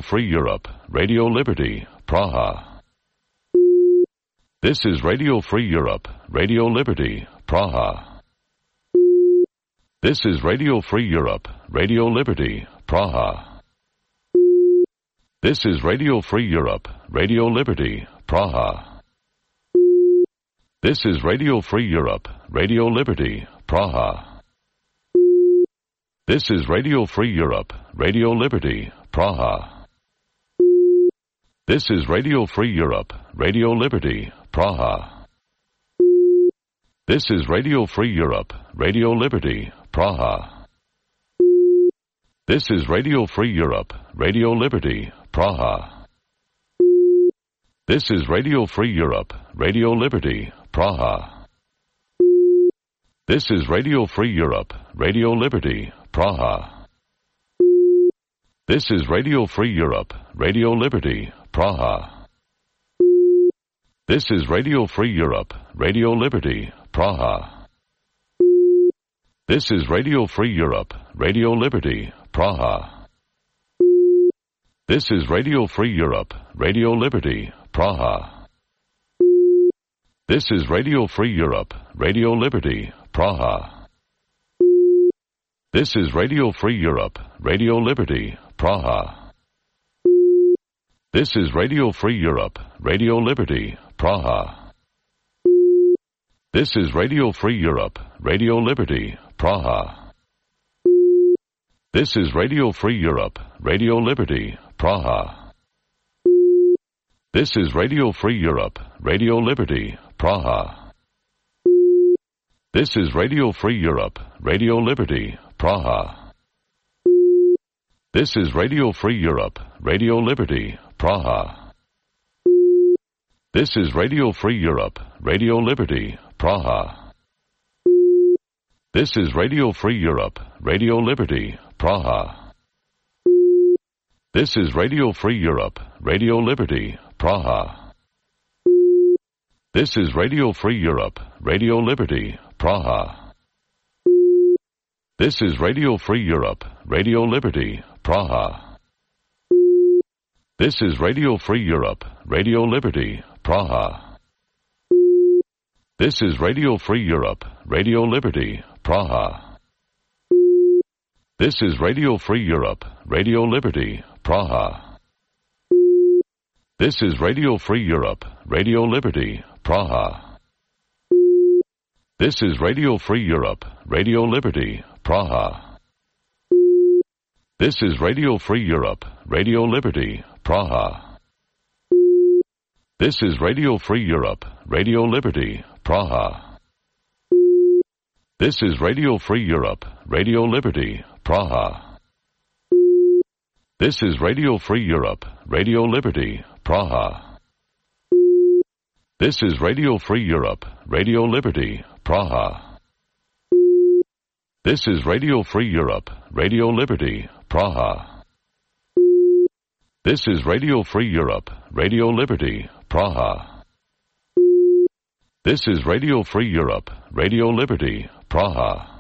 Free Europe, Radio Liberty, Praha. This is Radio Free Europe, Radio Liberty, Praha. This is Radio Free Europe, Radio Liberty, Praha. This is Radio Free Europe, Radio Liberty, Praha. This is Radio Free Europe, Radio Liberty, Praha. This is Radio Free Europe, Radio Liberty, Praha. This is Radio Free Europe, Radio Liberty, Praha. This is Radio Free Europe, Radio Liberty, Praha. This is Radio Free Europe, Radio Liberty, Praha. This is Radio Free Europe, Radio Liberty, Praha. This is Radio Free Europe, Radio Liberty, Praha. This is Radio Free Europe, Radio Liberty, Praha. This is Radio Free Europe, Radio Liberty, Praha. This is Radio Free Europe, Radio Liberty, Praha. This is Radio Free Europe, Radio Liberty, Praha. This is Radio Free Europe, Radio Liberty, Praha. This is Radio Free Europe, Radio Liberty, Praha. This is Radio Free Europe, Radio Liberty, Praha. This is Radio Free Europe, Radio Liberty, Praha. This is Radio Free Europe, Radio Liberty, Praha. This is Radio Free Europe, Radio Liberty, Praha. This is Radio Free Europe, Radio Liberty, Praha. This is Radio Free Europe, Radio Liberty, Praha. This is Radio Free Europe, Radio Liberty, Praha. This is Radio Free Europe, Radio Liberty, Praha. This is Radio Free Europe, Radio Liberty, Praha. This is Radio Free Europe, Radio Liberty, Praha. This is Radio Free Europe, Radio Liberty, Praha. This is Radio Free Europe, Radio Liberty, Praha. This is Radio Free Europe, Radio Liberty, Praha. This is Radio Free Europe, Radio Liberty, Praha. This is Radio Free Europe, Radio Liberty, Praha. This is Radio Free Europe, Radio Liberty, Praha. This is Radio Free Europe, Radio Liberty, Praha. This is Radio Free Europe, Radio Liberty, Praha. This is Radio Free Europe, Radio Liberty, Praha. This is Radio Free Europe, Radio Liberty, Praha. This is Radio Free Europe, Radio Liberty, Praha. This is Radio Free Europe, Radio Liberty, Praha. This is Radio Free Europe, Radio Liberty, Praha.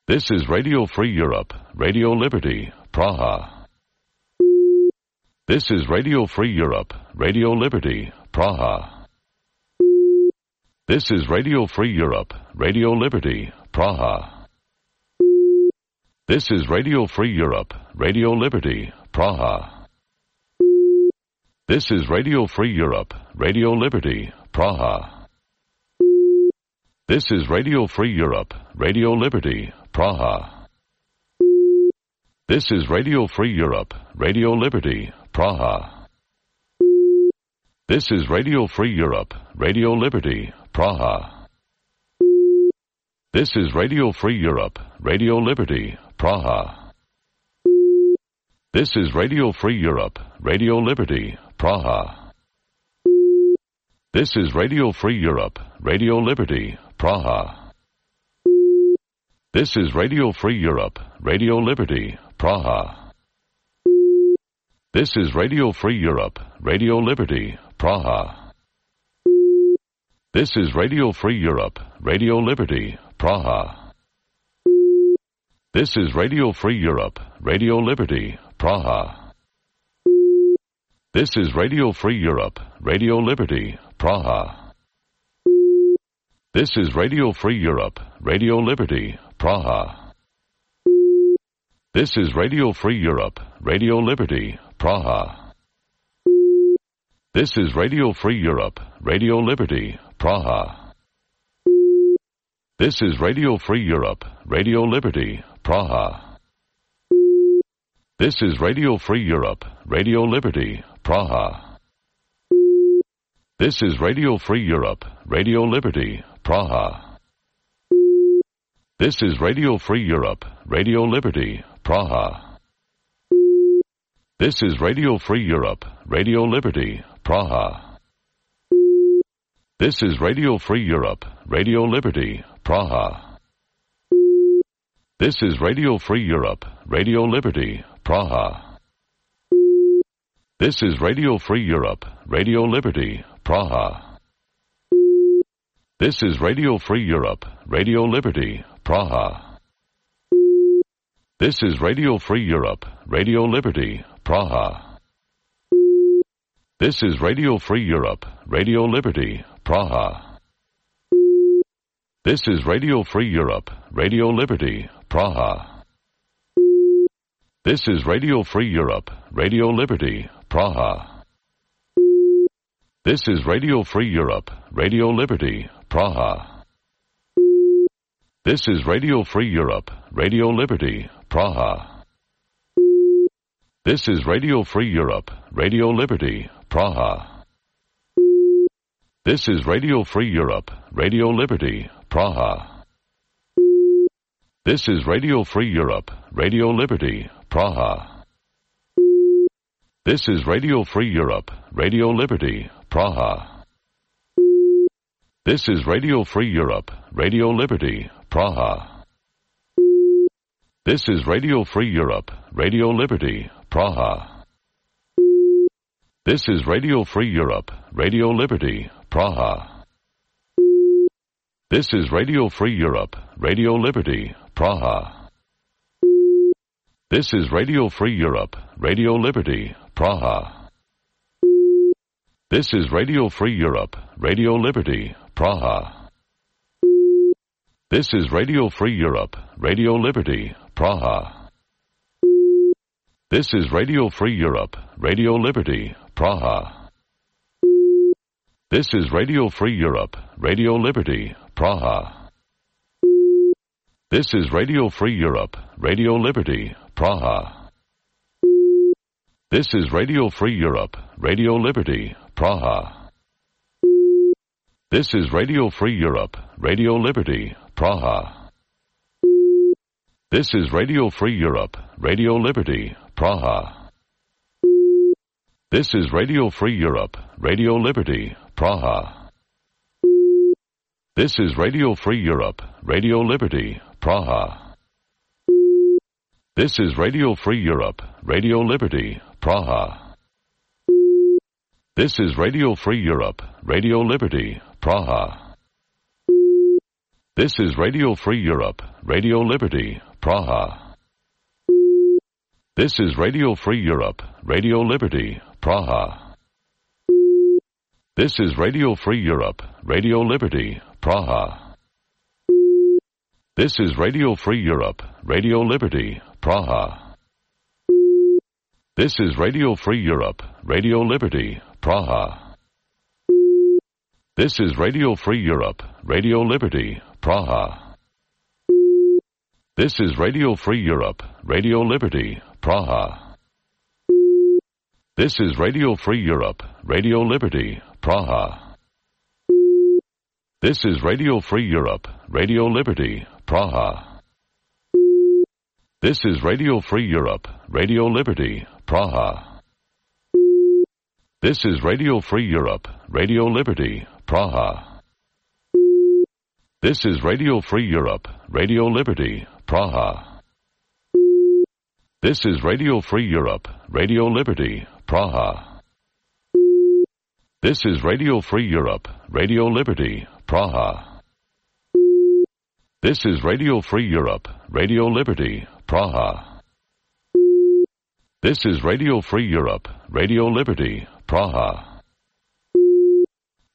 This is Radio Free Europe, Radio Liberty, Praha. This is Radio Free Europe, Radio Liberty, Praha. This is Radio Free Europe, Radio Liberty, Praha. This is Radio Free Europe, Radio Liberty, Praha. This is Radio Free Europe, Radio Liberty, Praha. This is Radio Free Europe, Radio Liberty, Praha. This is Radio Free Europe, Radio Liberty, Praha. This is Radio Free Europe, Radio Liberty, Praha. This is Radio Free Europe, Radio Liberty, Praha. This is Radio Free Europe, Radio Liberty, Praha. This is Radio Free Europe, Radio Liberty, Praha. This is Radio Free Europe, Radio Liberty, Praha. This is Radio Free Europe, Radio Liberty, Praha. This is Radio Free Europe, Radio Liberty, Praha. This is Radio Free Europe, Radio Liberty, Praha. This is Radio Free Europe, Radio Liberty, Praha. This is Radio Free Europe, Radio Liberty, Praha. This is Radio Free Europe, Radio Liberty, Praha. This is Radio Free Europe, Radio Liberty, Praha. This is Radio Free Europe, Radio Liberty, Praha. This is Radio Free Europe, Radio Liberty, Praha. This is Radio Free Europe, Radio Liberty, Praha. This is Radio Free Europe, Radio Liberty, Praha. This is Radio Free Europe, Radio Liberty, Praha. This is Radio Free Europe, Radio Liberty, Praha. This is Radio Free Europe, Radio Liberty, Praha. This is Radio Free Europe, Radio Liberty, Praha. This is Radio Free Europe, Radio Liberty, Praha. This is Radio Free Europe, Radio Liberty, Praha. This is Radio Free Europe, Radio Liberty, Praha. This is Radio Free Europe, Radio Liberty, Praha. This is Radio Free Europe, Radio Liberty, Praha. This is Radio Free Europe, Radio Liberty, Praha. This is Radio Free Europe, Radio Liberty, Praha. This is Radio Free Europe, Radio Liberty, Praha. This is Radio Free Europe, Radio Liberty, Praha. This is Radio Free Europe, Radio Liberty, Praha. This is Radio Free Europe, Radio Liberty, Praha. This is Radio Free Europe, Radio Liberty, Praha. This is Radio Free Europe, Radio Liberty, Praha. This is Radio Free Europe, Radio Liberty, Praha. This is Radio Free Europe, Radio Liberty, Praha. This is Radio Free Europe, Radio Liberty, Praha. This is Radio Free Europe, Radio Liberty, Praha. This is Radio Free Europe, Radio Liberty, Praha. This is Radio Free Europe, Radio Liberty, Praha. This is Radio Free Europe, Radio Liberty, Praha. This is Radio Free Europe, Radio Liberty, Praha. This is Radio Free Europe, Radio Liberty, Praha. This is Radio Free Europe, Radio Liberty, Praha. This is Radio Free Europe, Radio Liberty, Praha. This is Radio Free Europe, Radio Liberty, Praha. This is Radio Free Europe, Radio Liberty, Praha. This is Radio Free Europe, Radio Liberty, Praha. This is Radio Free Europe, Radio Liberty, Praha. This is Radio Free Europe, Radio Liberty, Praha. This is Radio Free Europe, Radio Liberty, Praha. This is Radio Free Europe, Radio Liberty, Praha. This is Radio Free Europe, Radio Liberty, Praha. This is Radio Free Europe, Radio Liberty, Praha. This is Radio Free Europe, Radio Liberty, Praha. This is Radio Free Europe, Radio Liberty, Praha. This is Radio Free Europe, Radio Liberty, Praha. This is Radio Free Europe, Radio Liberty, Praha. This is Radio Free Europe, Radio Liberty, Praha. This is Radio Free Europe, Radio Liberty, Praha. This is Radio Free Europe, Radio Liberty, Praha. This is Radio Free Europe, Radio Liberty, Praha. This is Radio Free Europe, Radio Liberty, Praha. This is Radio Free Europe, Radio Liberty, Praha. This is Radio Free Europe, Radio Liberty, Praha.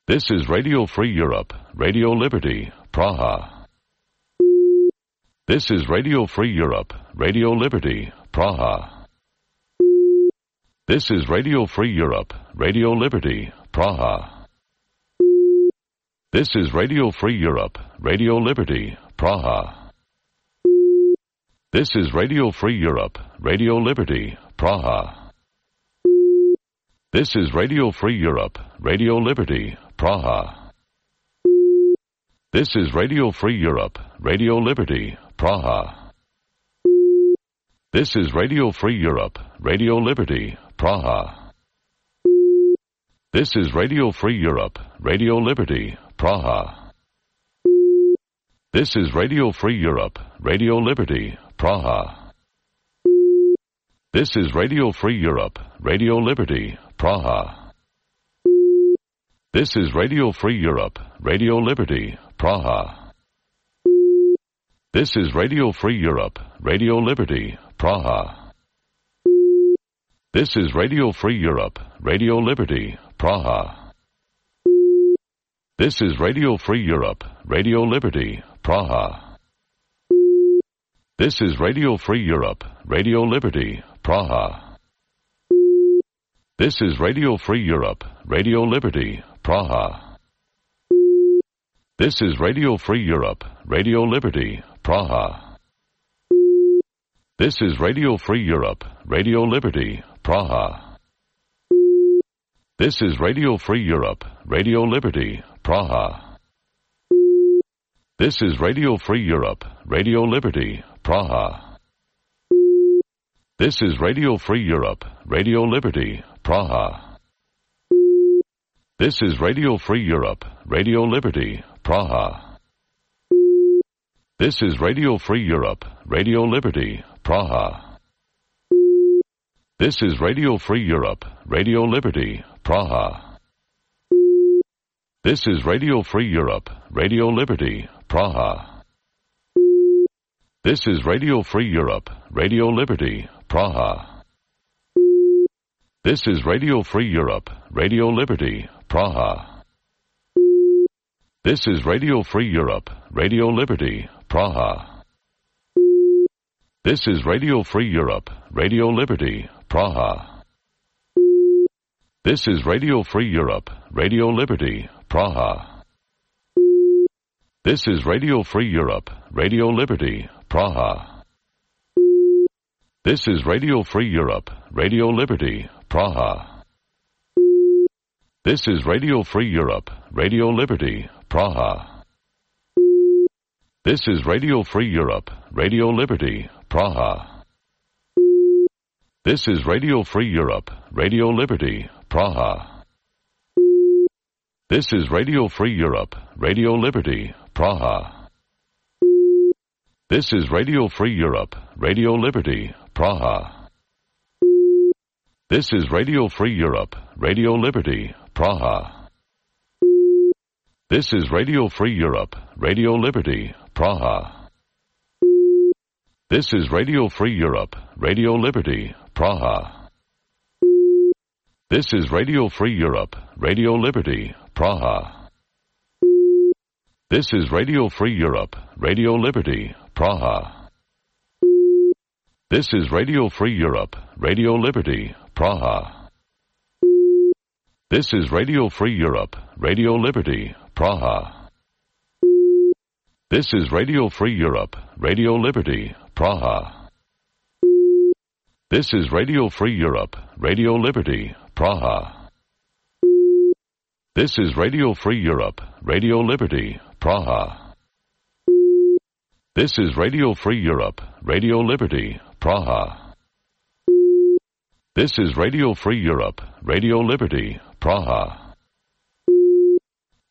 This is Radio Free Europe, Radio Liberty, Praha. This is Radio Free Europe, Radio Liberty, Praha. This is Radio Free Europe, Radio Liberty, Praha. This is Radio Free Europe, Radio Liberty, Praha. This is Radio Free Europe, Radio Liberty, Praha. This is Radio Free Europe, Radio Liberty, Praha. This is Radio Free Europe, Radio Liberty, Praha. This is Radio Free Europe, Radio Liberty, Praha. This is Radio Free Europe, Radio Liberty, Praha. This is Radio Free Europe, Radio Liberty, Praha. This is Radio Free Europe, Radio Liberty, Praha. This is Radio Free Europe, Radio Liberty, Praha. This is Radio Free Europe, Radio Liberty, Praha. This is Radio Free Europe, Radio Liberty, Praha. This is Radio Free Europe, Radio Liberty, Praha. This is Radio Free Europe, Radio Liberty, Praha. This is Radio Free Europe, Radio Liberty, Praha. This is Radio Free Europe, Radio Liberty, Praha. This is Radio Free Europe, Radio Liberty, Praha. This is Radio Free Europe, Radio Liberty, Praha. This is Radio Free Europe, Radio Liberty, Praha. This is Radio Free Europe, Radio Liberty, Praha. This is Radio Free Europe, Radio Liberty, Praha. This is Radio Free Europe, Radio Liberty, Praha. This is Radio Free Europe, Radio Liberty, Praha. This is Radio Free Europe, Radio Liberty, Praha. This is Radio Free Europe, Radio Liberty, Praha. This is Radio Free Europe, Radio Liberty, Praha. This is Radio Free Europe, Radio Liberty, Praha. This is Radio Free Europe, Radio Liberty, Praha. This is Radio Free Europe, Radio Liberty, Praha. This is Radio Free Europe, Radio Liberty, Praha. This is Radio Free Europe, Radio Liberty, Praha. This is Radio Free Europe, Radio Liberty, Praha. This is Radio Free Europe, Radio Liberty, Praha. This is Radio Free Europe, Radio Liberty, Praha. This is Radio Free Europe, Radio Liberty, Praha. This is Radio Free Europe, Radio Liberty, Praha. This is Radio Free Europe, Radio Liberty, Praha. This is Radio Free Europe, Radio Liberty, Praha. This is Radio Free Europe, Radio Liberty, Praha. This is Radio Free Europe, Radio Liberty, Praha. This is Radio Free Europe, Radio Liberty, Praha. This is Radio Free Europe, Radio Liberty, Praha. This is Radio Free Europe, Radio Liberty, Praha. This is Radio Free Europe, Radio Liberty, Praha. This is Radio Free Europe, Radio Liberty, Praha. This is Radio Free Europe, Radio Liberty, Praha. This is Radio Free Europe, Radio Liberty, Praha. This is Radio Free Europe, Radio Liberty, Praha.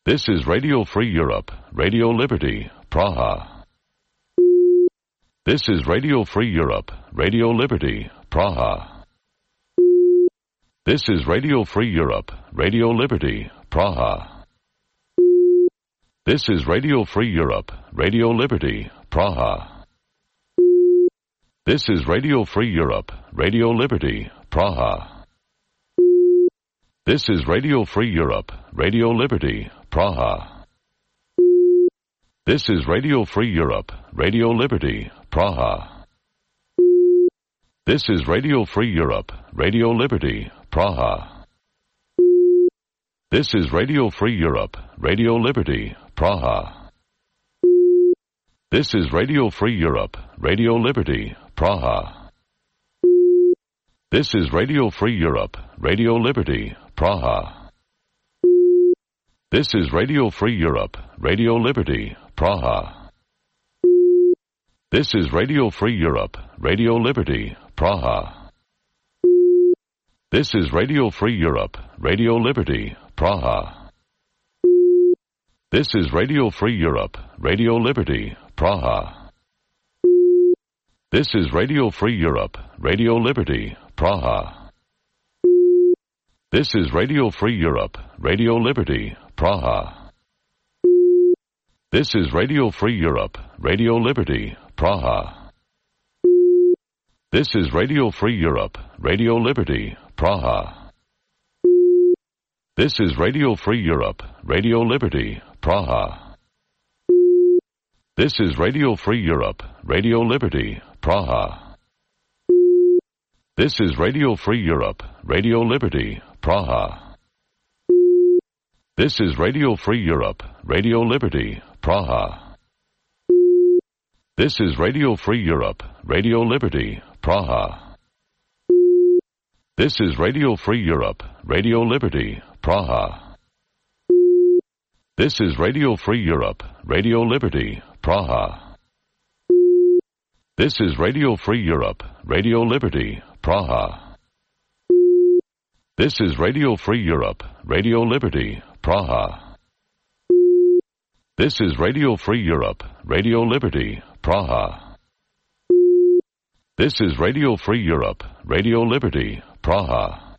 This is Radio Free Europe, Radio Liberty, Praha. This is Radio Free Europe, Radio Liberty, Praha. This is Radio Free Europe, Radio Liberty, Praha. This is Radio Free Europe, Radio Liberty, Praha. This is Radio Free Europe, Radio Liberty, Praha. This is Radio Free Europe, Radio Liberty, Praha. This is Radio Free Europe, Radio Liberty, Praha. This is Radio Free Europe, Radio Liberty, Praha. This is Radio Free Europe, Radio Liberty, Praha. This is Radio Free Europe, Radio Liberty, Praha. This is Radio Free Europe, Radio Liberty, Praha. This is Radio Free Europe, Radio Liberty, Praha. This is Radio Free Europe, Radio Liberty, Praha. This is Radio Free Europe, Radio Liberty, Praha. This is Radio Free Europe, Radio Liberty, Praha. This is Radio Free Europe, Radio Liberty, Praha. This is Radio Free Europe, Radio Liberty, Praha. This is Radio Free Europe, Radio Liberty, Praha. This is Radio Free Europe, Radio Liberty, Praha. This is Radio Free Europe, Radio Liberty, Praha. This is Radio Free Europe, Radio Liberty, Praha. This is Radio Free Europe, Radio Liberty, Praha. This is Radio Free Europe, Radio Liberty, Praha. This is Radio Free Europe, Radio Liberty, Praha. This is Radio Free Europe, Radio Liberty, Praha. This is Radio Free Europe, Radio Liberty, Praha. This is Radio Free Europe, Radio Liberty, Praha. This is Radio Free Europe, Radio Liberty, Praha. This is Radio Free Europe, Radio Liberty, Praha. This is Radio Free Europe, Radio Liberty, Praha.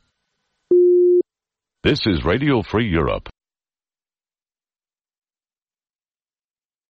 This is Radio Free Europe,